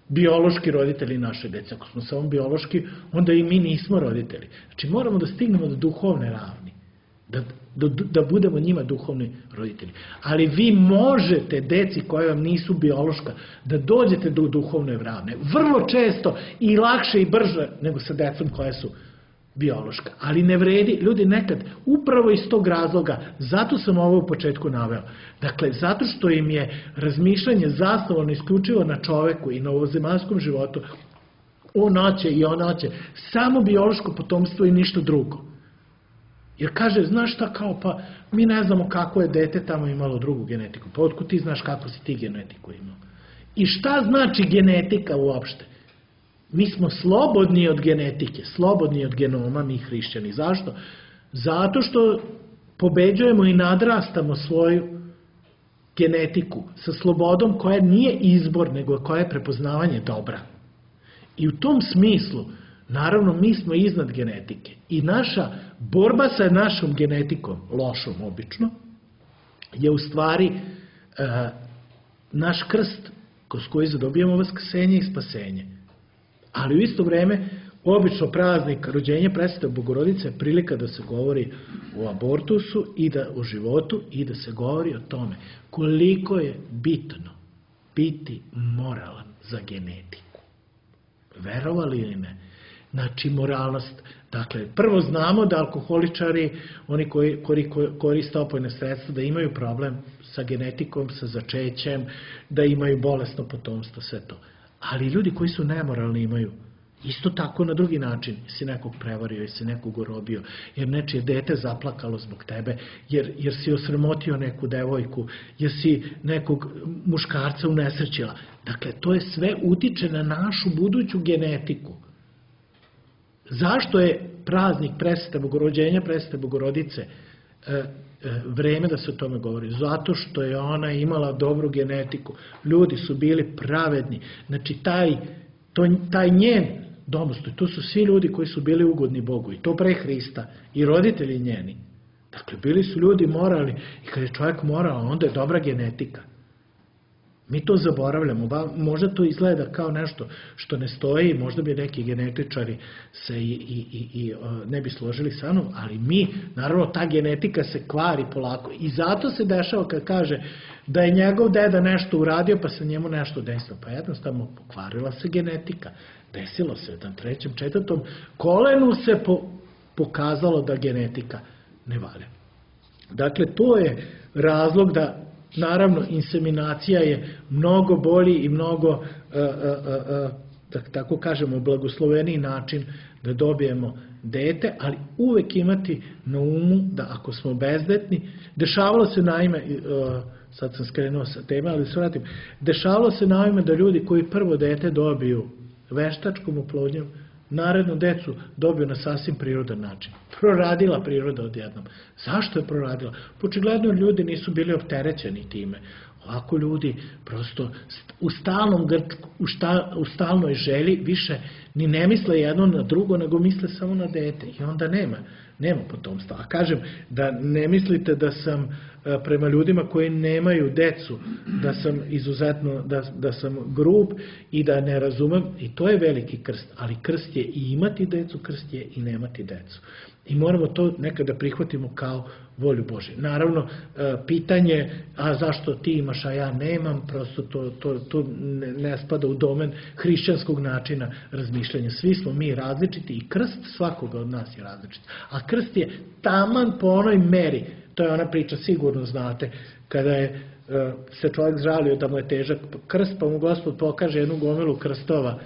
biološki roditelji naše dece. Ako smo samo biološki, onda i mi nismo roditelji. Znači moramo da stignemo do duhovne ravni. Da, da, da budemo njima duhovni roditelji. Ali vi možete, deci koja vam nisu biološka, da dođete do duhovne ravne. Vrlo često i lakše i brže nego sa decom koja su biološka. Ali ne vredi, ljudi nekad, upravo iz tog razloga, zato sam ovo u početku naveo. Dakle, zato što im je razmišljanje zasnovano isključivo na čoveku i na ovozemaljskom životu, on hoće i on hoće, samo biološko potomstvo i ništa drugo. Jer kaže, znaš šta, kao pa, mi ne znamo kako je dete tamo imalo drugu genetiku. Pa otkud ti znaš kako si ti genetiku imao? I šta znači genetika uopšte? Mi smo slobodni od genetike, slobodni od genoma, mi hrišćani. Zašto? Zato što pobeđujemo i nadrastamo svoju genetiku sa slobodom koja nije izbor, nego koja je prepoznavanje dobra. I u tom smislu, naravno, mi smo iznad genetike. I naša borba sa našom genetikom, lošom obično, je u stvari e, naš krst kroz koji zadobijamo vaskrsenje i spasenje. Ali u isto vreme, obično praznik rođenja Presvete Bogorodice je prilika da se govori o abortusu i da o životu i da se govori o tome koliko je bitno biti moralan za genetiku. Verovali ili ne? Znači, moralnost. Dakle, prvo znamo da alkoholičari, oni koji, koji koriste opojne sredstva, da imaju problem sa genetikom, sa začećem, da imaju bolesno potomstvo, sve to. Ali ljudi koji su nemoralni imaju isto tako na drugi način. Si nekog prevario, jer si nekog urobio, jer nečije dete zaplakalo zbog tebe, jer, jer si osramotio neku devojku, jer si nekog muškarca unesrećila. Dakle, to je sve utiče na našu buduću genetiku. Zašto je praznik Presvete Bogorođenja, Presvete Bogorodice, e, e, vreme da se o tome govori? Zato što je ona imala dobru genetiku. Ljudi su bili pravedni. Znači, taj, to, taj njen domostoj, to su svi ljudi koji su bili ugodni Bogu. I to pre Hrista. I roditelji njeni. Dakle, bili su ljudi moralni. I kad je čovjek moralan, onda je dobra genetika. Mi to zaboravljamo, možda to izgleda kao nešto što ne stoji, možda bi neki genetičari se i, i, i, i ne bi složili sa mnom, ali mi, naravno, ta genetika se kvari polako i zato se dešava kad kaže da je njegov deda nešto uradio pa se njemu nešto desilo, pa jednostavno pokvarila se genetika, desilo se na trećem, četvrtom kolenu se po, pokazalo da genetika ne valja. Dakle, to je razlog da, naravno, inseminacija je mnogo bolji i mnogo, uh, uh, uh, da tako kažemo, blagosloveniji način da dobijemo dete, ali uvek imati na umu da ako smo bezdetni, dešavalo se naime, uh, sad sam skrenuo sa teme, ali se vratim, dešavalo se naime da ljudi koji prvo dete dobiju veštačkom oplodnjom, narednu decu dobiju na sasvim prirodan način. Proradila priroda odjednom. Zašto je proradila? Očigledno ljudi nisu bili opterećeni time. Ovako ljudi prosto u stalnom grčku, u, šta, u stalnoj želji više ni ne misle jedno na drugo, nego misle samo na dete. I onda nema, nema potomstva. A kažem, da ne mislite da sam prema ljudima koji nemaju decu, da sam izuzetno, da, da sam grub i da ne razumem, i to je veliki krst, ali krst je i imati decu, krst je i nemati decu. I moramo to nekada prihvatimo kao volju Božju. Naravno, pitanje, a zašto ti imaš, a ja nemam, prosto to, to, to ne spada u domen hrišćanskog načina razmišljanja. Svi smo mi različiti i krst svakoga od nas je različit. A krst je taman po onoj meri, to je ona priča, sigurno znate, kada je se čovjek žalio da mu je težak krst, pa mu Gospod pokaže jednu gomilu krstova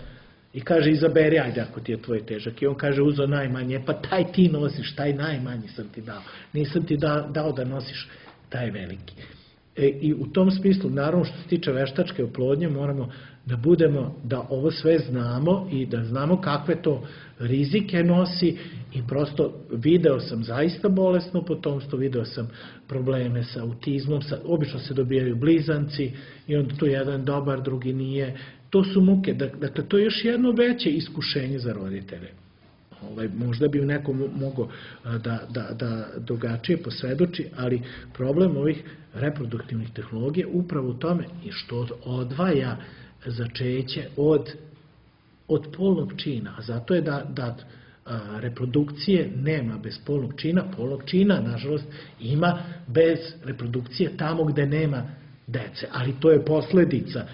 I kaže, izaberi, ajde ako ti je tvoj težak. I on kaže, uzo najmanje, pa taj ti nosiš, taj najmanji sam ti dao. Nisam ti da, dao da nosiš taj veliki. E, I u tom smislu, naravno što se tiče veštačke oplodnje, moramo da budemo, da ovo sve znamo i da znamo kakve to rizike nosi i prosto video sam zaista bolesno potomstvo, video sam probleme sa autizmom, sa, obično se dobijaju blizanci i onda tu jedan dobar, drugi nije. To su muke, dakle to je još jedno veće iskušenje za roditelje. Ovaj, možda bi neko mogao da, da, da drugačije posvedoči, ali problem ovih reproduktivnih tehnologija upravo u tome i što odvaja začeće od, od polnog čina. A zato je da, da a, reprodukcije nema bez polnog čina. Polnog čina, nažalost, ima bez reprodukcije tamo gde nema dece. Ali to je posledica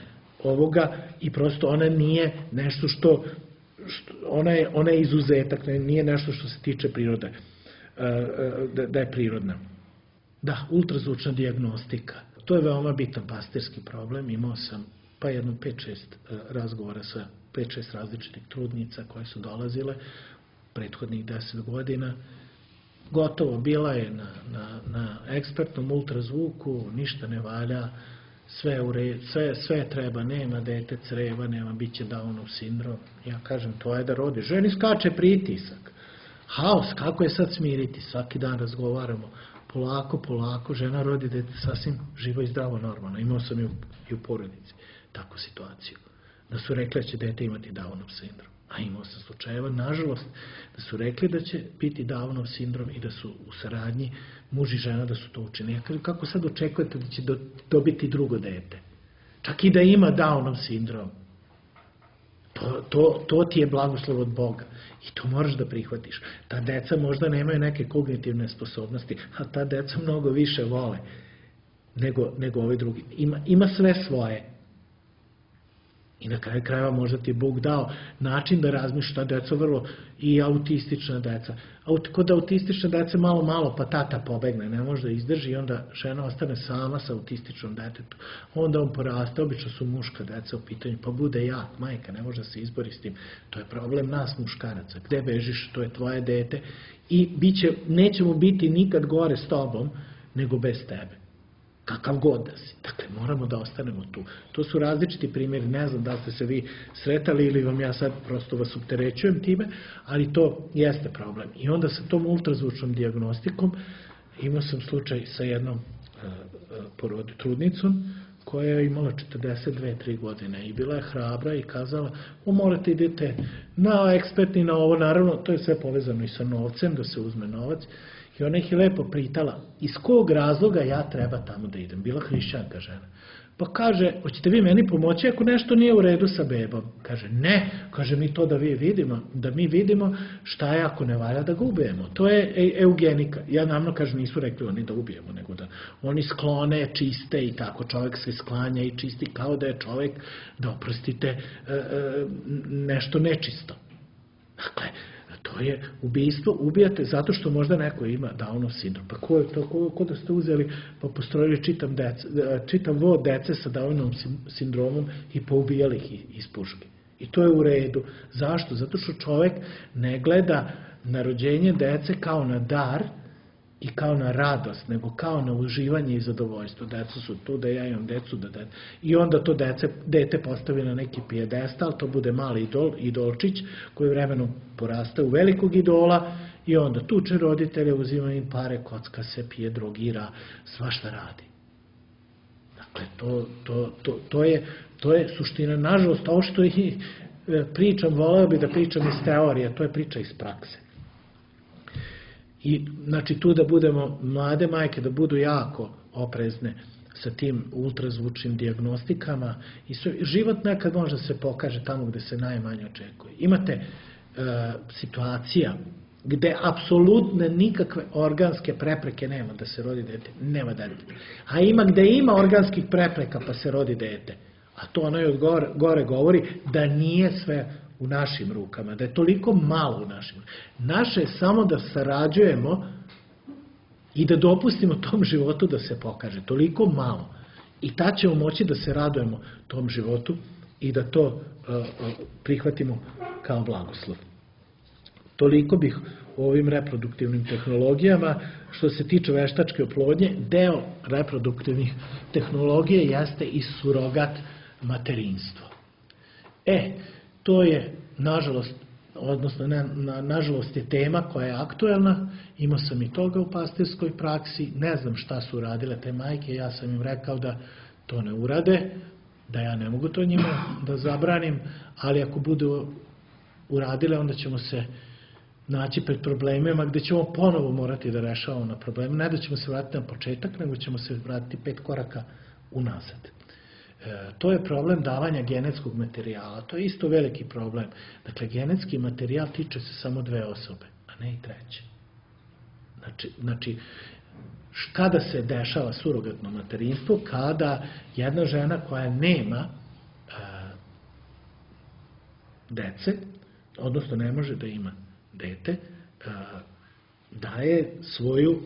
ovoga i prosto ona nije nešto što, što ona, je, ona je izuzetak, nije nešto što se tiče prirode, da, da je prirodna. Da, ultrazvučna dijagnostika. To je veoma bitan pastirski problem. Imao sam pa jedno pet šest razgovora sa pet šest različitih trudnica koje su dolazile prethodnih deset godina. Gotovo, bila je na, na, na ekspertnom ultrazvuku, ništa ne valja, sve, u re, sve, sve treba, nema dete creva, nema, bit će Downov sindrom. Ja kažem, to je da rodi. Ženi skače pritisak. Haos, kako je sad smiriti? Svaki dan razgovaramo. Polako, polako, žena rodi dete sasvim živo i zdravo, normalno. Imao sam i u, i u porodici takvu situaciju. Da su rekli da će dete imati Downov sindrom. A imao sam slučajeva, nažalost, da su rekli da će biti Downov sindrom i da su u saradnji muž i žena da su to učinili. Ja kažem, kako sad očekujete da će do, dobiti drugo dete? Čak i da ima Downov sindrom. To, to, to ti je blagoslov od Boga. I to moraš da prihvatiš. Ta deca možda nemaju neke kognitivne sposobnosti, a ta deca mnogo više vole nego, nego ovi drugi. Ima, ima sve svoje. I na kraju krajeva možda ti je Bog dao način da razmišljaš, ta deca vrlo i autistična deca. Aut, kod autistične dece malo, malo pa tata pobegne, ne može da izdrži i onda žena ostane sama sa autističnom detetom. Onda on poraste, obično su muška deca u pitanju, pa bude jak, majka, ne može da se izbori s tim. To je problem nas muškaraca. Gde bežiš, to je tvoje dete i biće, nećemo biti nikad gore s tobom nego bez tebe. Kakav god da si. Dakle, moramo da ostanemo tu. To su različiti primjeri, ne znam da ste se vi sretali ili vam ja sad prosto vas opterećujem time, ali to jeste problem. I onda sa tom ultrazvučnom dijagnostikom imao sam slučaj sa jednom uh, porod, trudnicom koja je imala četrdeset dve tri godine i bila je hrabra i kazala, o morate idete na ekspertni, na ovo, naravno, to je sve povezano i sa novcem, da se uzme novac. I ona ih je lepo pitala, iz kog razloga ja treba tamo da idem? Bila hrišćanka žena. Pa kaže, hoćete vi meni pomoći ako nešto nije u redu sa bebom? Kaže, ne, kaže mi to da vi vidimo, da mi vidimo šta je ako ne valja da ga ubijemo. To je eugenika. Ja namno kažem, nisu rekli oni da ubijemo, nego da oni sklone, čiste i tako. Čovjek se sklanja i čisti kao da je čovjek, da oprostite, nešto nečisto. Dakle, to je ubijstvo, ubijate zato što možda neko ima Downov sindrom. Pa ko je to, ko, ko da ste uzeli, pa postrojili čitam, dece, čitam vod dece sa Downovim sindromom i poubijali ih iz puške. I to je u redu. Zašto? Zato što čovjek ne gleda na rođenje dece kao na dar i kao na radost, nego kao na uživanje i zadovoljstvo. Deca su tu, da ja imam decu, da dete. I onda to dece, dete postavi na neki pijedestal, to bude mali idol, idolčić, koji vremenom poraste u velikog idola i onda tuče roditelje, uzima im pare, kocka se, pije, drogira, svašta radi. Dakle, to, to, to, to, je, to je suština. Nažalost, ovo što i pričam, voleo bi da pričam iz teorije, to je priča iz prakse. I znači tu da budemo, mlade majke da budu jako oprezne sa tim ultrazvučnim dijagnostikama i sve, život nekad možda se pokaže tamo gde se najmanje očekuje. Imate e, situacija gde apsolutne nikakve organske prepreke nema da se rodi dete, nema dete. A ima gde ima organskih prepreka pa se rodi dete. A to onaj od gore, gore govori da nije sve u našim rukama, da je toliko malo u našim rukama. Naše je samo da sarađujemo i da dopustimo tom životu da se pokaže. Toliko malo. I tad ćemo moći da se radujemo tom životu i da to prihvatimo kao blagoslov. Toliko bih o ovim reproduktivnim tehnologijama. Što se tiče veštačke oplodnje, deo reproduktivnih tehnologija jeste i surogat materinstvo. E, to je, nažalost, odnosno, na, na, nažalost je tema koja je aktuelna, imao sam i toga u pastirskoj praksi, ne znam šta su uradile te majke, ja sam im rekao da to ne urade, da ja ne mogu to njima da zabranim, ali ako budu uradile, onda ćemo se naći pred problemima gde ćemo ponovo morati da rešavamo na problemu, ne da ćemo se vratiti na početak, nego ćemo se vratiti pet koraka unazad. To je problem davanja genetskog materijala. To je isto veliki problem. Dakle, genetski materijal tiče se samo dve osobe, a ne i treće. Znači, znači kada se dešava surogatno materinstvo? Kada jedna žena koja nema a, dece, odnosno ne može da ima dete, a, daje svoju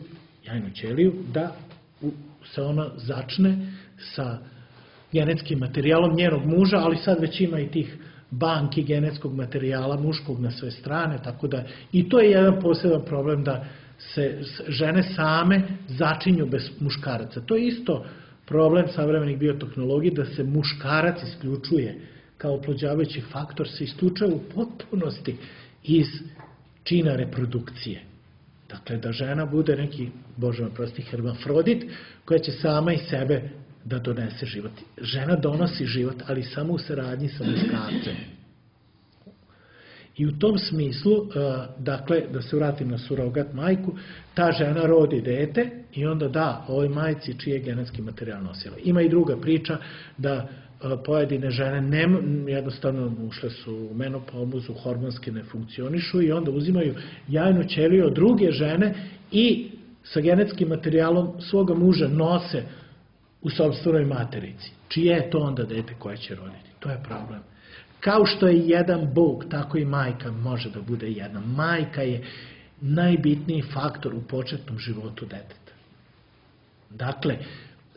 jajnu ćeliju da u, se ona začne sa genetskim materijalom njenog muža, ali sad već ima i tih banki genetskog materijala muškog na sve strane, tako da i to je jedan poseban problem da se žene same začinju bez muškaraca. To je isto problem savremenih biotehnologija, da se muškarac isključuje kao oplođavajući faktor, se isključuje u potpunosti iz čina reprodukcije. Dakle, da žena bude neki, Bože me prosti, hermafrodit, koja će sama iz sebe da donese život. Žena donosi život, ali samo u saradnji sa muškarcem. I u tom smislu, dakle, da se vratim na surogat majku, ta žena rodi dete i onda da ovoj majci čiji je genetski materijal nosila. Ima i druga priča da pojedine žene ne, jednostavno ušle su u menopauzu, hormonski ne funkcionišu i onda uzimaju jajnu ćeliju od druge žene i sa genetskim materijalom svoga muža nose u sopstvenoj materici. Čije je to onda dete koje će roditi? To je problem. Kao što je jedan Bog, tako i majka može da bude jedna. Majka je najbitniji faktor u početnom životu deteta. Dakle,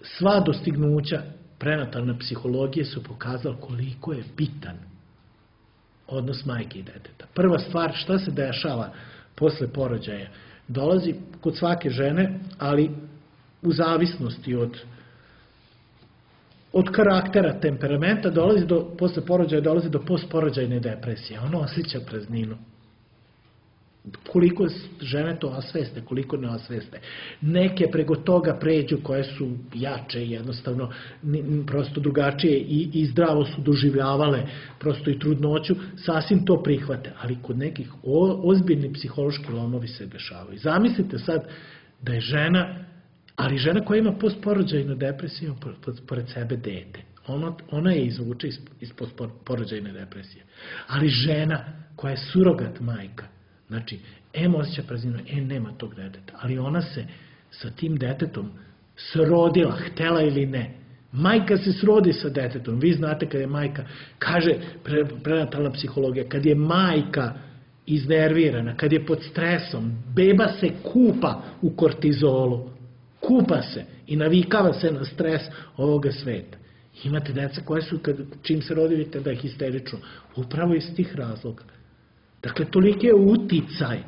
sva dostignuća prenatalne psihologije su pokazali koliko je bitan odnos majke i deteta. Prva stvar, šta se dešava posle porođaja? Dolazi kod svake žene, ali u zavisnosti od od karaktera, temperamenta, dolazi do, posle porođaja dolazi do postporođajne depresije. Ono osjeća prazninu. Koliko žene to osveste, koliko ne osveste. Neke preko toga pređu koje su jače, jednostavno prosto drugačije i, i zdravo su doživljavale prosto i trudnoću, sasvim to prihvate. Ali kod nekih o, ozbiljni psihološki lomovi se dešavaju. Zamislite sad da je žena, ali žena koja ima postporođajnu depresiju, pored sebe dete. Ona, ona je izvuče iz, iz postporođajne depresije. Ali žena koja je surogat majka, znači, em osjeća prazninu, em nema tog deteta, ali ona se sa tim detetom srodila, htela ili ne. Majka se srodi sa detetom. Vi znate kad je majka, kaže pre, prenatalna psihologija, kad je majka iznervirana, kad je pod stresom, beba se kupa u kortizolu, kupa se i navikava se na stres ovoga sveta. Imate deca koje su, kad, čim se rodi, vidite da je histerično. Upravo iz tih razloga. Dakle, toliki je uticaj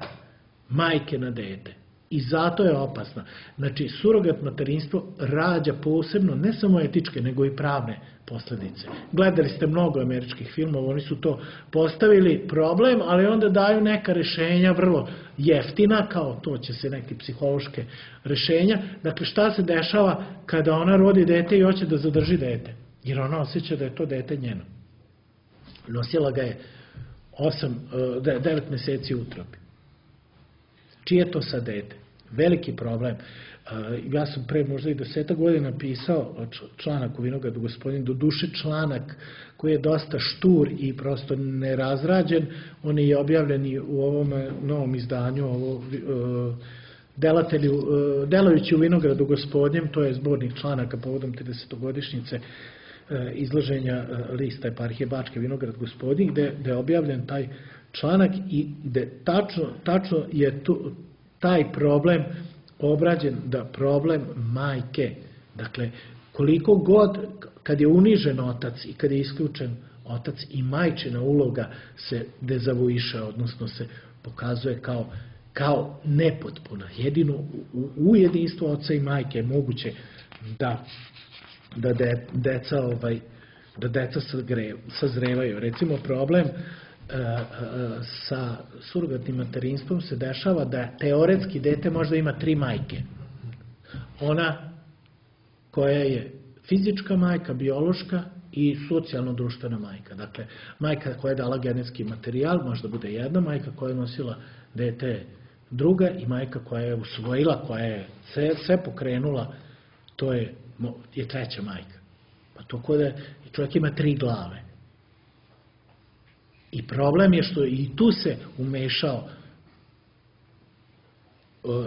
majke na dete. I zato je opasna. Znači, surogat materinstvo rađa posebno, ne samo etičke, nego i pravne posledice. Gledali ste mnogo američkih filmova, oni su to postavili problem, ali onda daju neka rešenja vrlo jeftina, kao to će se neke psihološke rešenja. Dakle, šta se dešava kada ona rodi dete i hoće da zadrži dete? Jer ona osjeća da je to dete njeno. Nosila ga je osam, devet meseci u utrobi. Čije to sad dete? Veliki problem. Ja sam pre možda i deseta godina pisao članak u Vinogradu gospodin, do duše članak koji je dosta štur i prosto nerazrađen. On je objavljen i u ovom novom izdanju, ovo, delatelju, delajući u Vinogradu gospodnjem, to je zbornik članaka povodom tridesetogodišnjice izlaženja lista eparhije Bačke Vinograd gospodin, gde, gde je objavljen taj članak i gde tačno, tačno je tu, taj problem obrađen, da problem majke, dakle, koliko god, kad je unižen otac i kad je isključen otac i majčina uloga se dezavuiše, odnosno se pokazuje kao, kao nepotpuna. Jedino u, u jedinstvu oca i majke je moguće da, da de, deca, ovaj, da deca sagre, sazrevaju. Recimo, problem e, e, sa surogatnim materinstvom se dešava da teoretski dete možda ima tri majke. Ona koja je fizička majka, biološka i socijalno-društvena majka. Dakle, majka koja je dala genetski materijal, možda bude jedna, majka koja je nosila dete druga i majka koja je usvojila, koja je sve, sve pokrenula, to je, je treća majka. Pa to kod je, čovjek ima tri glave. I problem je što i tu se umešao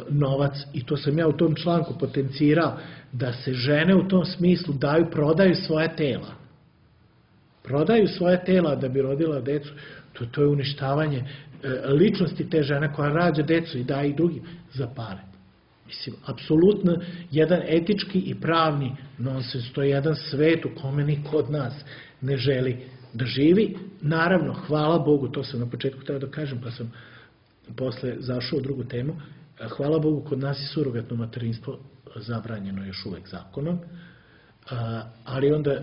novac, i to sam ja u tom članku potencirao, da se žene u tom smislu daju, prodaju svoje tela. Prodaju svoje tela da bi rodila decu. To, to je uništavanje ličnosti te žene koja rađa decu i daje ih drugim za pare. Mislim, apsolutno jedan etički i pravni nonsens. To je jedan svet u kome niko od nas ne želi da živi. Naravno, hvala Bogu, to sam na početku treba da kažem, pa sam posle zašao u drugu temu. Hvala Bogu, kod nas je surogatno materinstvo zabranjeno još uvek zakonom, ali onda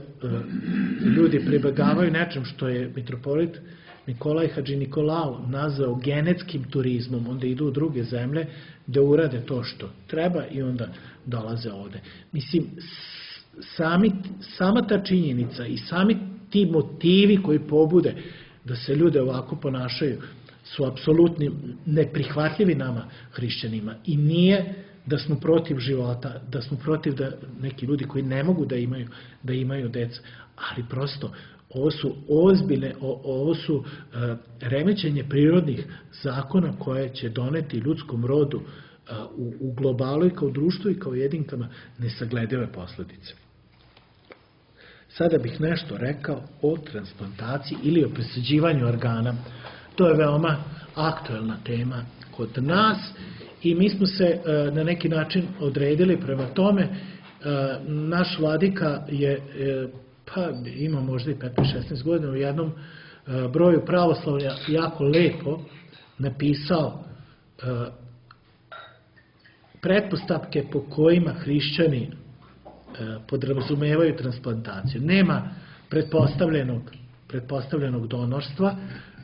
ljudi pribegavaju nečem što je mitropolit Nikolaj Hadži Nikolao nazvao genetskim turizmom, onda idu u druge zemlje da urade to što treba i onda dolaze ovde. Mislim, sami, sama ta činjenica i sami ti motivi koji pobude da se ljude ovako ponašaju su apsolutni neprihvatljivi nama hrišćanima i nije da smo protiv života, da smo protiv da neki ljudi koji ne mogu da imaju, da imaju deca, ali prosto ovo su ozbiljne, ovo su uh, remećenje prirodnih zakona koje će doneti ljudskom rodu uh, u, u globalu i kao društvu i kao jedinkama nesagledive posledice. Sada bih nešto rekao o transplantaciji ili o presađivanju organa. To je veoma aktuelna tema kod nas i mi smo se uh, na neki način odredili prema tome. Uh, naš vladika je uh, pa ima možda i petnaest šesnaest godina u jednom uh, broju pravoslavlja jako lepo napisao uh, pretpostavke po kojima hrišćani uh, podrazumevaju transplantaciju. Nema pretpostavljenog, pretpostavljenog donorstva,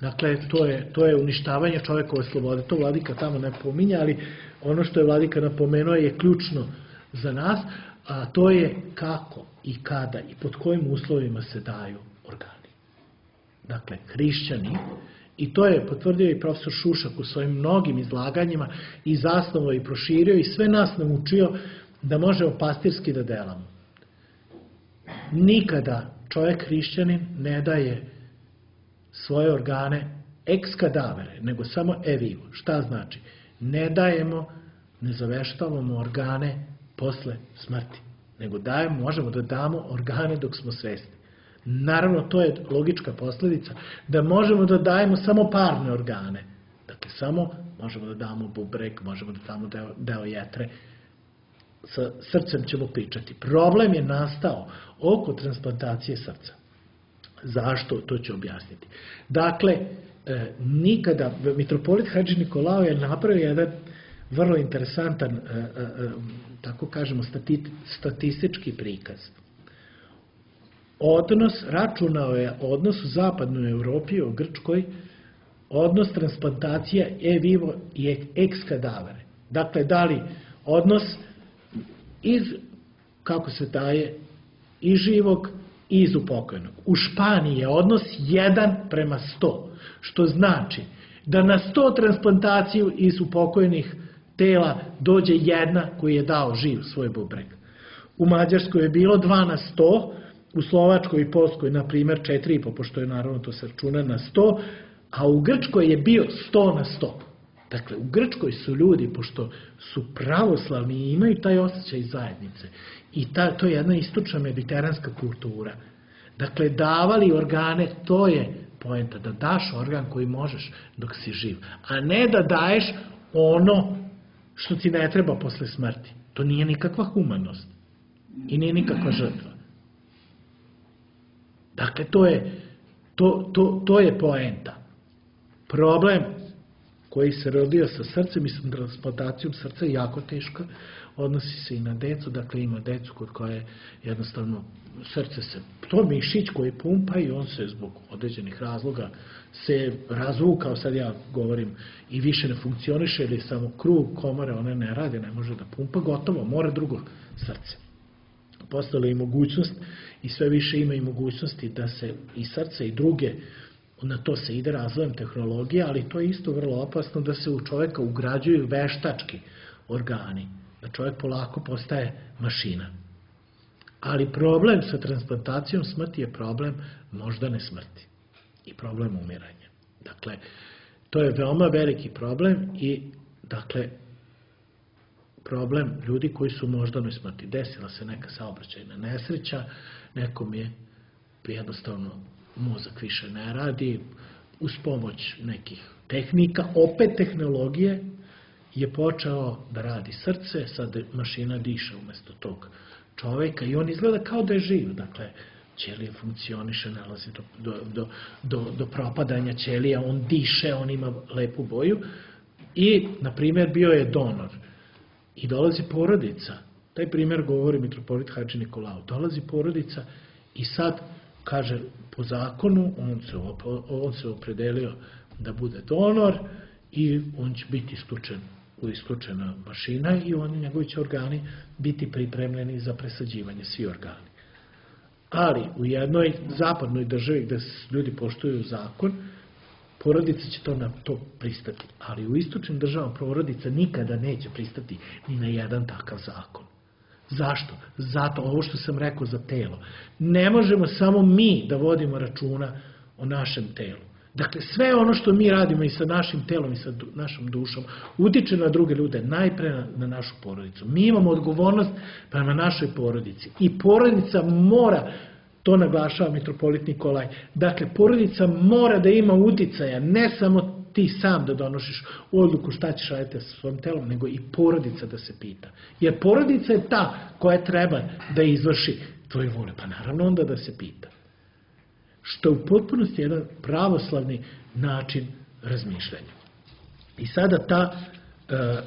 dakle to je, to je uništavanje čovekove slobode. To vladika tamo ne pominja, ali ono što je vladika napomenuo je ključno za nas, a to je kako i kada i pod kojim uslovima se daju organi. Dakle, hrišćani, i to je potvrdio i profesor Šušak u svojim mnogim izlaganjima i zasnovo i proširio i sve nas naučio da možemo pastirski da delamo. Nikada čovjek hrišćanin ne daje svoje organe ex cadavere, nego samo e vivo. Šta znači? Ne dajemo, ne zaveštavamo organe posle smrti, nego dajemo, možemo da damo organe dok smo svesni. Naravno, to je logička posljedica, da možemo da dajemo samo parne organe. Dakle, samo možemo da damo bubreg, možemo da damo deo, deo jetre, sa srcem ćemo pričati. Problem je nastao oko transplantacije srca. Zašto? To ću objasniti. Dakle, e, nikada, mitropolit Hadži Nikolao je napravio jedan vrlo interesantan, e, e, tako kažemo, stati, statistički prikaz. Odnos, računao je odnos u zapadnoj Evropi, u Grčkoj, odnos transplantacija e vivo i ex cadavere. Dakle, da li odnos iz, kako se daje, iz živog i iz upokojnog. U Španiji je odnos jedan prema sto, što znači da na sto transplantaciju iz upokojenih tela dođe jedna koji je dao živ svoj bubreg. U Mađarskoj je bilo dva na sto, u Slovačkoj i Polskoj, na primjer, četiri i po, pošto je naravno to se računa na sto, a u Grčkoj je bio sto na sto. Dakle, u Grčkoj su ljudi, pošto su pravoslavni i imaju taj osjećaj zajednice, i ta, to je jedna istočna mediteranska kultura. Dakle, davali organe, to je poenta, da daš organ koji možeš dok si živ, a ne da daješ ono što ti ne treba posle smrti. To nije nikakva humanost i nije nikakva žrtva. Dakle, to je To, to, to je poenta. Problem koji se rodio sa srcem i sa transplantacijom srca je jako teška, odnosi se i na decu, dakle ima decu kod koje jednostavno srce se, to mišić koji pumpa i on se zbog određenih razloga se razvukao, sad ja govorim, i više ne funkcioniše ili samo krug komore, one ne rade, ne može da pumpa, gotovo, mora drugo srce. Postala je i mogućnost i sve više ima i mogućnosti da se i srce i druge, na to se ide razvojem tehnologije, ali to je isto vrlo opasno da se u čoveka ugrađuju veštački organi, da čovjek polako postaje mašina. Ali problem sa transplantacijom smrti je problem moždane smrti i problem umiranja. Dakle, to je veoma veliki problem i, dakle, problem ljudi koji su u moždanoj smrti. Desila se neka saobraćajna nesreća, nekom je jednostavno mozak više ne radi, uz pomoć nekih tehnika, opet tehnologije, je počeo da radi srce, sad mašina diše umjesto tog čoveka i on izgleda kao da je živ. Dakle, ćelija funkcioniše, nalazi do, do, do, do, do propadanja ćelija, on diše, on ima lepu boju i, na primjer, bio je donor. I dolazi porodica, taj primjer govori mitropolit Hadži Nikolao, dolazi porodica i sad, kaže, po zakonu, on se, on se opredelio da bude donor i on će biti isključen, isključena mašina i oni, njegovi će organi biti pripremljeni za presađivanje, svi organi. Ali u jednoj zapadnoj državi gde ljudi poštuju zakon, porodica će to na to pristati. Ali u istočnim državama porodica nikada neće pristati ni na jedan takav zakon. Zašto? Zato, ovo što sam rekao za telo. Ne možemo samo mi da vodimo računa o našem telu. Dakle, sve ono što mi radimo i sa našim telom i sa našom dušom utiče na druge ljude, najpre na, na našu porodicu. Mi imamo odgovornost prema našoj porodici. I porodica mora, to naglašava mitropolit Nikolaj, dakle, porodica mora da ima uticaja, ne samo ti sam da donošiš odluku šta ćeš raditi sa svojim telom, nego i porodica da se pita. Jer porodica je ta koja treba da izvrši tvoje vole, pa naravno onda da se pita. Što je u potpunosti jedan pravoslavni način razmišljanja. I sada ta e, e,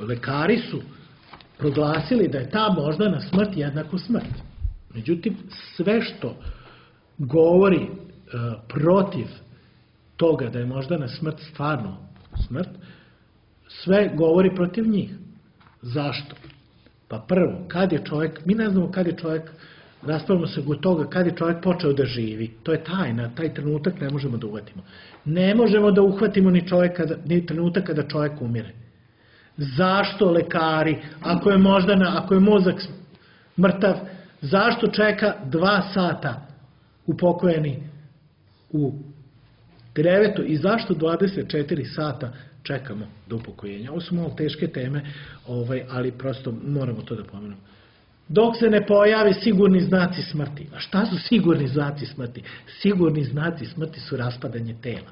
lekari su proglasili da je ta moždana smrt jednako smrt. Međutim, sve što govori e, protiv toga da je moždana smrt stvarno smrt, sve govori protiv njih. Zašto? Pa prvo, kad je čovjek, mi ne znamo kad je čovjek, raspravljamo se od toga kad je čovjek počeo da živi. To je tajna, taj trenutak ne možemo da uhvatimo. Ne možemo da uhvatimo ni, čovjeka, ni trenutak kada čovjek umire. Zašto lekari, ako je moždana, ako je mozak mrtav, zašto čeka dva sata upokojeni u krevetu i zašto dvadeset četiri sata čekamo do upokojenja? Ovo su malo teške teme, ovaj, ali prosto moramo to da pomenemo. Dok se ne pojave sigurni znaci smrti. A šta su sigurni znaci smrti? Sigurni znaci smrti su raspadanje tela.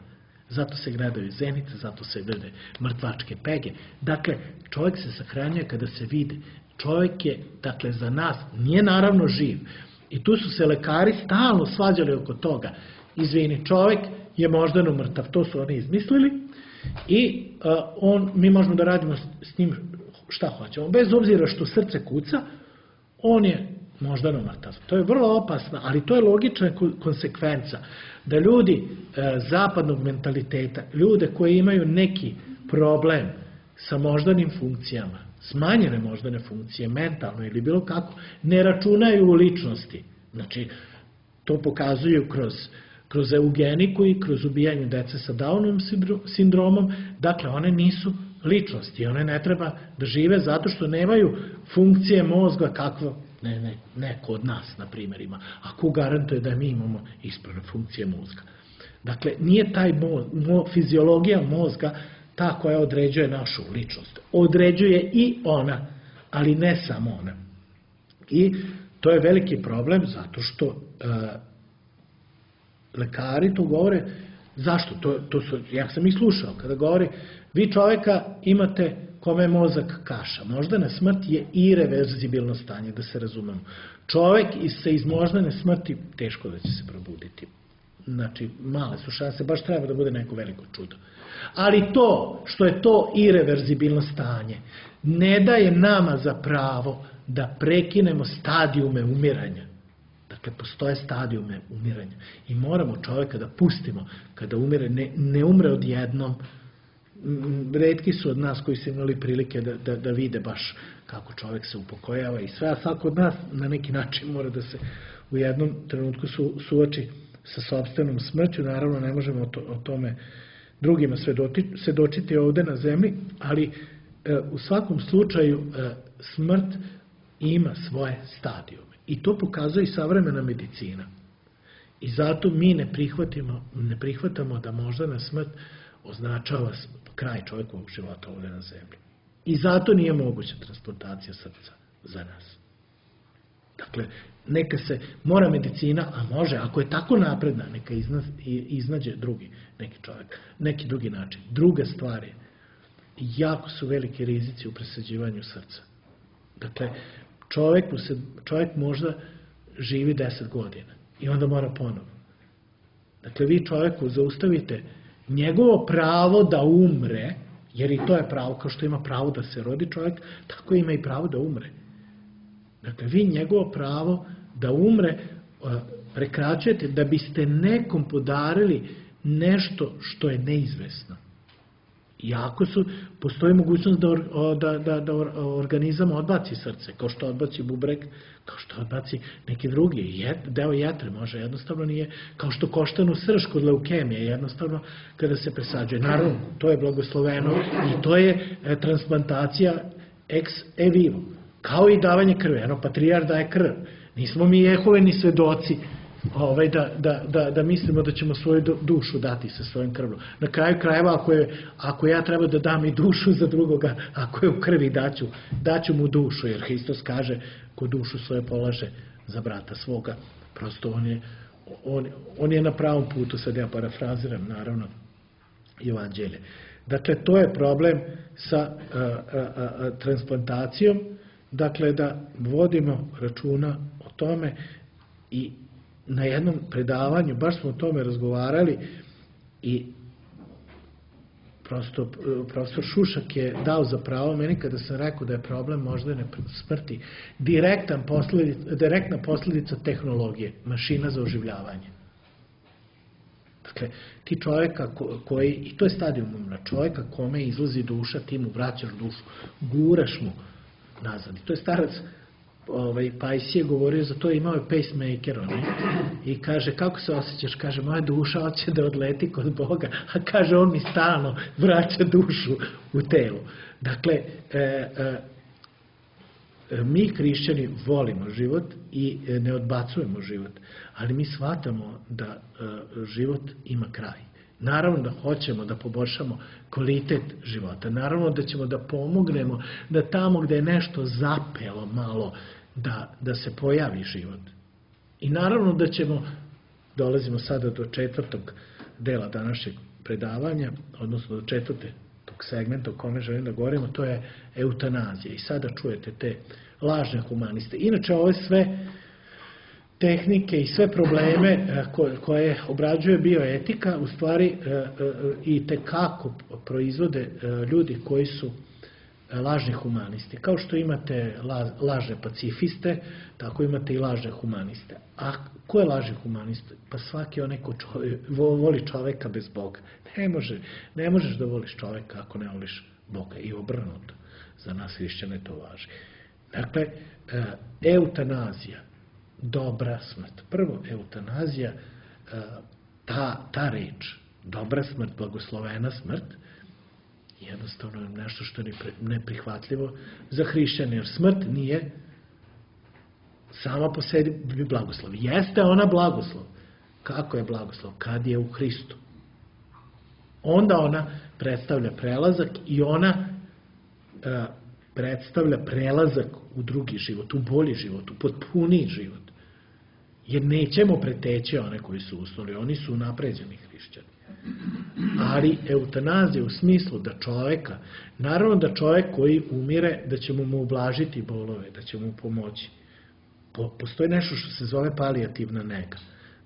Zato se gledaju zenice, zato se gledaju mrtvačke pege. Dakle, čovjek se sahranjuje kada se vide. Čovjek je, dakle, za nas, nije naravno živ. I tu su se lekari stalno svađali oko toga. Izvini, čovjek je moždano mrtav, to su oni izmislili i uh, on, mi možemo da radimo s njim šta hoćemo. Bez obzira što srce kuca, on je moždano mrtav. To je vrlo opasno, ali to je logična konsekvenca da ljudi e, zapadnog mentaliteta, ljude koji imaju neki problem sa moždanim funkcijama, smanjene moždane funkcije, mentalno ili bilo kako, ne računaju u ličnosti. Znači, to pokazuju kroz, kroz eugeniku i kroz ubijanje dece sa Downovim sindromom. Dakle, one nisu ličnosti, one ne treba da žive zato što nemaju funkcije mozga kakvo ne, ne, ne kod nas, na primjer, ima. A ko garantuje da mi imamo ispravne funkcije mozga? Dakle, nije taj mo, mo, fiziologija mozga ta koja određuje našu ličnost. Određuje i ona, ali ne samo ona. I to je veliki problem zato što e, lekari to govore. Zašto? To, to su, ja sam ih slušao kada govori, vi čovjeka imate kome je mozak kaša. Moždana smrt je ireverzibilno stanje, da se razumemo. Čovjek se iz moždane smrti teško da će se probuditi. znači male su šanse, baš treba da bude neko veliko čudo. Ali to što je to ireverzibilno stanje ne daje nama za pravo da prekinemo stadijume umiranja. Dakle, postoje stadijume umiranja i moramo čovjeka da pustimo kada umire, ne, ne umre odjednom. Retki su od nas koji su imali prilike da, da, da vide baš kako čovjek se upokojava i sve, a svako od nas na neki način mora da se u jednom trenutku su, suoči sa sopstvenom smrću. Naravno, ne možemo o, to, o tome drugima svedočiti ovde na zemlji, ali e, u svakom slučaju e, smrt ima svoje stadijume. I to pokazuje i savremena medicina. I zato mi ne prihvatimo, ne prihvatamo da možda na smrt označava kraj čovjekovog života ovdje na zemlji. I zato nije moguća transplantacija srca za nas. Dakle, neka se, mora medicina, a može, ako je tako napredna, neka izna, iznađe drugi neki čovjek, neki drugi način. Druga stvar je, jako su veliki rizici u presađivanju srca. Dakle, čovjek, čovjek možda živi deset godina i onda mora ponovo. Dakle, vi čovjeku zaustavite njegovo pravo da umre, jer i to je pravo, kao što ima pravo da se rodi čovjek, tako ima i pravo da umre. Dakle, vi njegovo pravo da umre prekraćujete da biste nekom podarili nešto što je neizvesno. Iako su, postoji mogućnost da, da, da, da organizam odbaci srce, kao što odbaci bubreg, kao što odbaci neki drugi, jed, deo jetre može, jednostavno nije, kao što koštanu srž kod leukemije, jednostavno kada se presađuje. Naravno, to je blagosloveno i to je e, transplantacija ex e vivo, kao i davanje krve. Eno, patrijar daje krv. Nismo mi Jehoveni svedoci Ovaj, da, da, da, da mislimo da ćemo svoju dušu dati sa svojim krvlom. Na kraju krajeva, ako, je, ako ja treba da dam i dušu za drugoga, ako je u krvi, daću, daću mu dušu, jer Hristos kaže, ko dušu svoje polaže za brata svoga. Prosto on je, on, on je na pravom putu, sad ja parafraziram, naravno, Evanđelje. Dakle, to je problem sa a, a, a, transplantacijom, dakle, da vodimo računa o tome i na jednom predavanju, baš smo o tome razgovarali i prosto profesor Šušak je dao za pravo meni kada sam rekao da je problem moždane smrti direktan posledica, direktna posljedica tehnologije, mašina za oživljavanje. Dakle, ti čovjeka koji, i to je stadijum umra, čovjeka kome izlazi duša, ti mu vraćaš dušu, guraš mu nazad. I to je starac Ovaj, Pajsije govorio za to, imao je pacemaker onaj, i kaže, kako se osjećaš? Kaže, moja duša hoće da odleti kod Boga, a kaže, on mi stalno vraća dušu u telo. Dakle, e, e, mi hrišćani volimo život i ne odbacujemo život, ali mi shvatamo da e, život ima kraj. Naravno da hoćemo da poboljšamo kvalitet života, naravno da ćemo da pomognemo da tamo gde je nešto zapelo malo, da, da se pojavi život. I naravno da ćemo, dolazimo sada do četvrtog dela današnjeg predavanja, odnosno do četvrte tog segmenta o kome želim da govorimo, to je eutanazija. I sada čujete te lažne humaniste. Inače, ove sve tehnike i sve probleme koje obrađuje bioetika, u stvari i tekako proizvode ljudi koji su lažni humanisti. Kao što imate lažne pacifiste, tako imate i lažne humaniste. A ko je lažni humanist? Pa svaki onaj ko čovjek, voli čoveka bez Boga. Ne, može, ne možeš da voliš čoveka ako ne voliš Boga. I obrnuto. Za nas hrišćane to važi. Dakle, eutanazija, dobra smrt. Prvo, eutanazija, ta, ta reč, dobra smrt, blagoslovena smrt, jednostavno je nešto što je neprihvatljivo za hrišćane, jer smrt nije sama po sebi blagoslov. Jeste ona blagoslov. Kako je blagoslov? Kad je u Hristu. Onda ona predstavlja prelazak i ona a, predstavlja prelazak u drugi život, u bolji život, u potpuniji život. Jer nećemo preteći one koji su usnuli, oni su napređeni hrišćani. Ali eutanazija u smislu da čoveka, naravno da čovek koji umire, da ćemo mu ublažiti bolove, da ćemo mu pomoći. Po, postoji nešto što se zove palijativna nega.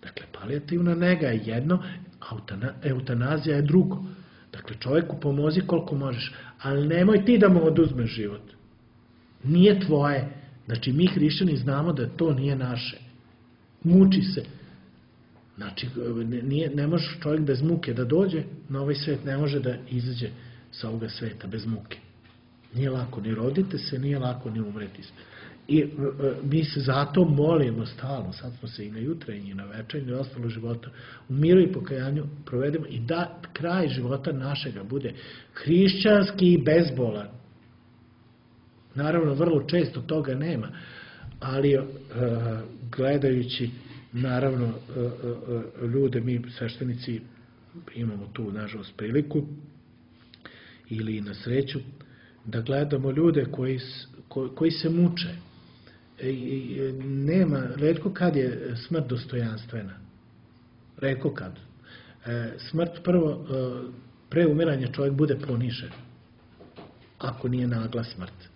Dakle, palijativna nega je jedno, eutanazija je drugo. Dakle, čovjeku pomozi koliko možeš, ali nemoj ti da mu oduzmeš život. Nije tvoje. Znači, mi hrišćani znamo da to nije naše. Muči se. Znači, nije, ne može čovjek bez muke da dođe na ovaj svet, ne može da izađe sa ovoga sveta bez muke. Nije lako ni rodite se, nije lako ni umreti se. I e, mi se zato molimo stalno, sad smo se i na jutrenji, i na večernji, i ostalo života, u miru i pokajanju provedemo i da kraj života našega bude hrišćanski i bezbolan. Naravno, vrlo često toga nema, ali e, gledajući, naravno, e, e, ljude, mi sveštenici imamo tu, nažalost, priliku ili na sreću, da gledamo ljude koji, koji se muče. Nema, retko kad je smrt dostojanstvena. Retko kad. Smrt prvo, pre umiranja čovjek bude ponižen. Ako nije nagla smrt.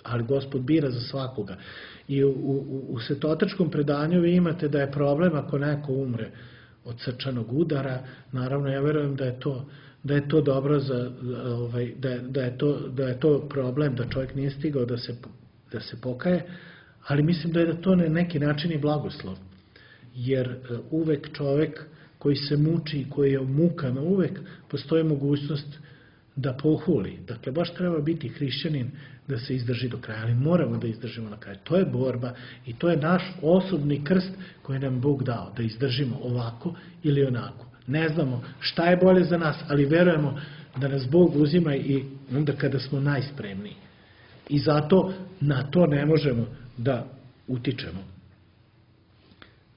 Ali Gospod bira za svakoga. I u, u, u svetotačkom predanju vi imate da je problem ako neko umre od srčanog udara. Naravno, ja verujem da je to da je to dobro za, ovaj, da, da, je to, da je to problem, da čovjek nije stigao da se, da se pokaje, ali mislim da je da to na neki način i blagoslov. Jer uvek čovjek koji se muči i koji je u mukama, uvek postoji mogućnost da pohuli. Dakle, baš treba biti hrišćanin da se izdrži do kraja, ali moramo da izdržimo na kraju. To je borba i to je naš osobni krst koji nam Bog dao, da izdržimo ovako ili onako. Ne znamo šta je bolje za nas, ali verujemo da nas Bog uzima i onda kada smo najspremniji. I zato na to ne možemo da utičemo.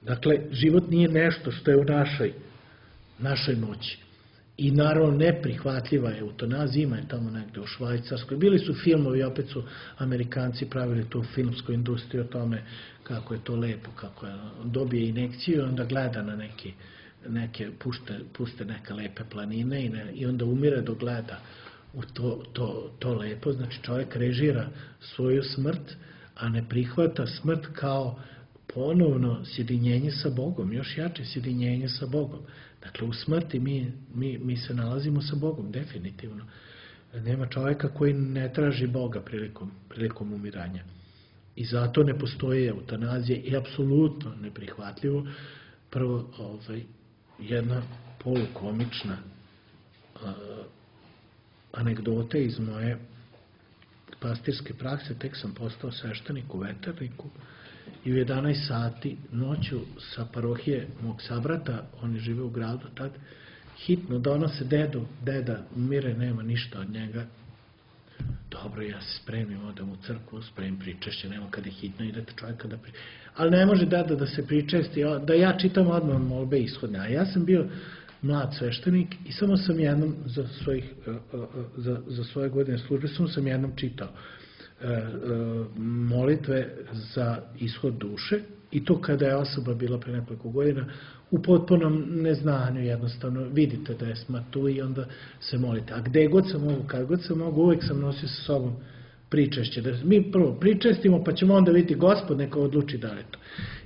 Dakle, život nije nešto što je u našoj, našoj moći. I naravno neprihvatljiva je eutanazija, ima je tamo negde u Švajcarskoj. Bili su filmovi, opet su Amerikanci pravili tu filmsku industriju o tome kako je to lepo, kako je, dobije injekciju i onda gleda na neki neke, pušte, puste neke lepe planine i, ne, i onda umire dok gleda u to, to, to lepo. Znači čovjek režira svoju smrt, a ne prihvata smrt kao ponovno sjedinjenje sa Bogom, još jače sjedinjenje sa Bogom. Dakle, u smrti mi, mi, mi se nalazimo sa Bogom, definitivno. Nema čovjeka koji ne traži Boga prilikom, prilikom umiranja. I zato ne postoji eutanazija i apsolutno neprihvatljivo. Prvo, ovaj, jedna polukomična uh, anegdota iz moje pastirske prakse. Tek sam postao sveštenik u Veterniku i u jedanaest sati noću sa parohije mog sabrata, oni žive u gradu tad, hitno donose dedu, deda umire, nema ništa od njega. Dobro, ja se spremim, odem u crkvu, spremim pričešće, nema kada je hitno, idete čovjeka da pri... Ali ne može deda da se pričesti, da ja čitam odmah molbe ishodne. A ja sam bio mlad sveštenik i samo sam jednom za, svojih, za, za svoje godine službe, samo sam jednom čitao molitve za ishod duše i to kada je osoba bila pre nekoliko godina u potpunom neznanju, jednostavno vidite da je smrt tu i onda se molite. A gde god sam mogu, kad god sam mogu, uvijek sam nosio sa sobom pričešće. Da mi prvo pričestimo, pa ćemo onda vidjeti Gospod neka odluči da li to.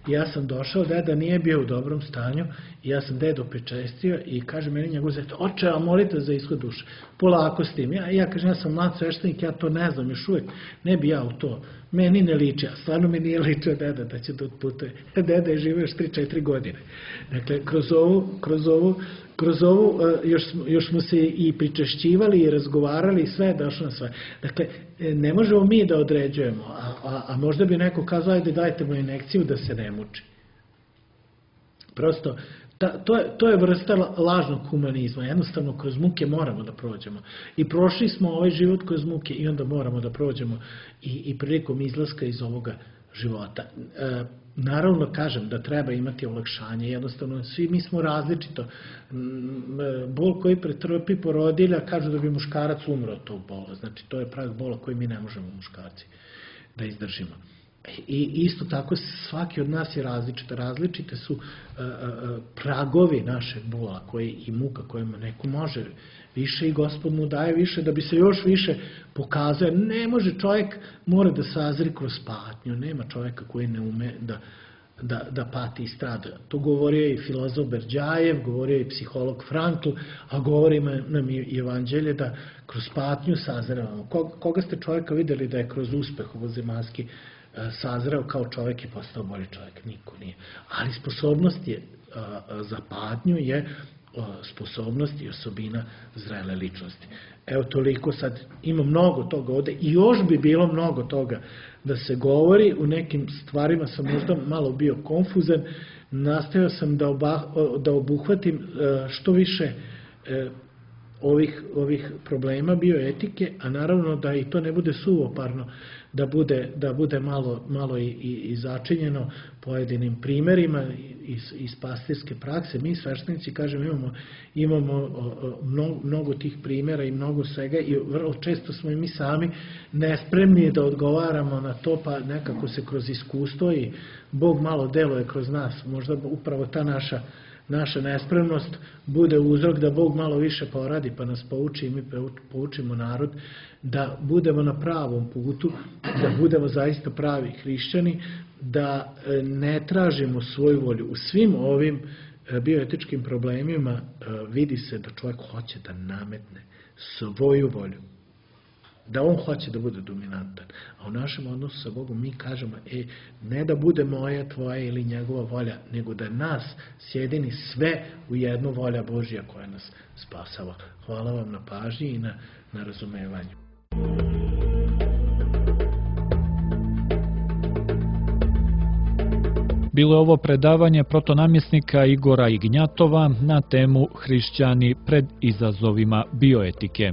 I ja sam došao, deda nije bio u dobrom stanju i ja sam dedo pričestio i kaže meni njegov zet, oče, a molite za ishod duše. Polako s tim. Ja, ja kažem, ja sam mlad sveštenik, ja to ne znam, još uvijek ne bi ja u to. Meni ne liči, a stvarno mi nije ličio deda da će da otputuje. Deda je živio još tri četiri godine. Dakle, kroz ovu, kroz ovu, kroz ovu još, još smo se i pričešćivali i razgovarali i sve je došlo na sve. Dakle, ne možemo mi da određujemo, a, a, a možda bi neko kazao, ajde dajte mu injekciju da se ne muči. Prosto, ta, to, je, to je vrsta lažnog humanizma. Jednostavno, kroz muke moramo da prođemo. I prošli smo ovaj život kroz muke i onda moramo da prođemo i, i prilikom izlaska iz ovoga života. E, naravno, kažem da treba imati olakšanje. Jednostavno, svi mi smo različito. Bol koji pretrpi porodilja, kažu da bi muškarac umro od tog bola. Znači, to je prag bola koji mi ne možemo muškarci da izdržimo. I isto tako svaki od nas je različita. Različite su uh, uh, pragovi našeg bola koji, i muka kojima neko može više i Gospod mu daje više da bi se još više pokazao. Ne može čovjek, mora da sazri kroz patnju. Nema čovjeka koji ne ume da, da, da pati i strada. To govorio i filozof Berdjajev, govorio i psiholog Frankl, a govori nam i Evanđelje da kroz patnju sazrevamo. Koga ste čovjeka vidjeli da je kroz uspeh ovozemaljski sazreo kao čovjek i postao bolji čovjek? Niko nije. Ali sposobnost je za patnju je sposobnost i osobina zrele ličnosti. Evo toliko, sad ima mnogo toga ovde i još bi bilo mnogo toga da se govori. U nekim stvarima sam možda malo bio konfuzan, nastojao sam da, oba, da obuhvatim što više ovih, ovih problema bioetike, a naravno da i to ne bude suvoparno, da bude, da bude malo, malo i, i, i začinjeno pojedinim primerima iz, iz pastirske prakse. Mi sveštenici, kažem, imamo, imamo mnogo, mnogo tih primjera i mnogo svega i vrlo često smo i mi sami nespremni da odgovaramo na to, pa nekako se kroz iskustvo i Bog malo deluje kroz nas. Možda upravo ta naša naša nespremnost bude uzrok da Bog malo više poradi, pa nas pouči i mi poučimo narod da budemo na pravom putu, da budemo zaista pravi hrišćani, da ne tražimo svoju volju. U svim ovim bioetičkim problemima vidi se da čovjek hoće da nametne svoju volju, da on hoće da bude dominantan. A u našem odnosu sa Bogom mi kažemo, e, ne da bude moja, tvoja ili njegova volja, nego da nas sjedini sve u jednu volja Božja koja nas spasava. Hvala vam na pažnji i na, na razumevanju. Bilo je ovo predavanje protonamjesnika Igora Ignjatova na temu Hrišćani pred izazovima bioetike.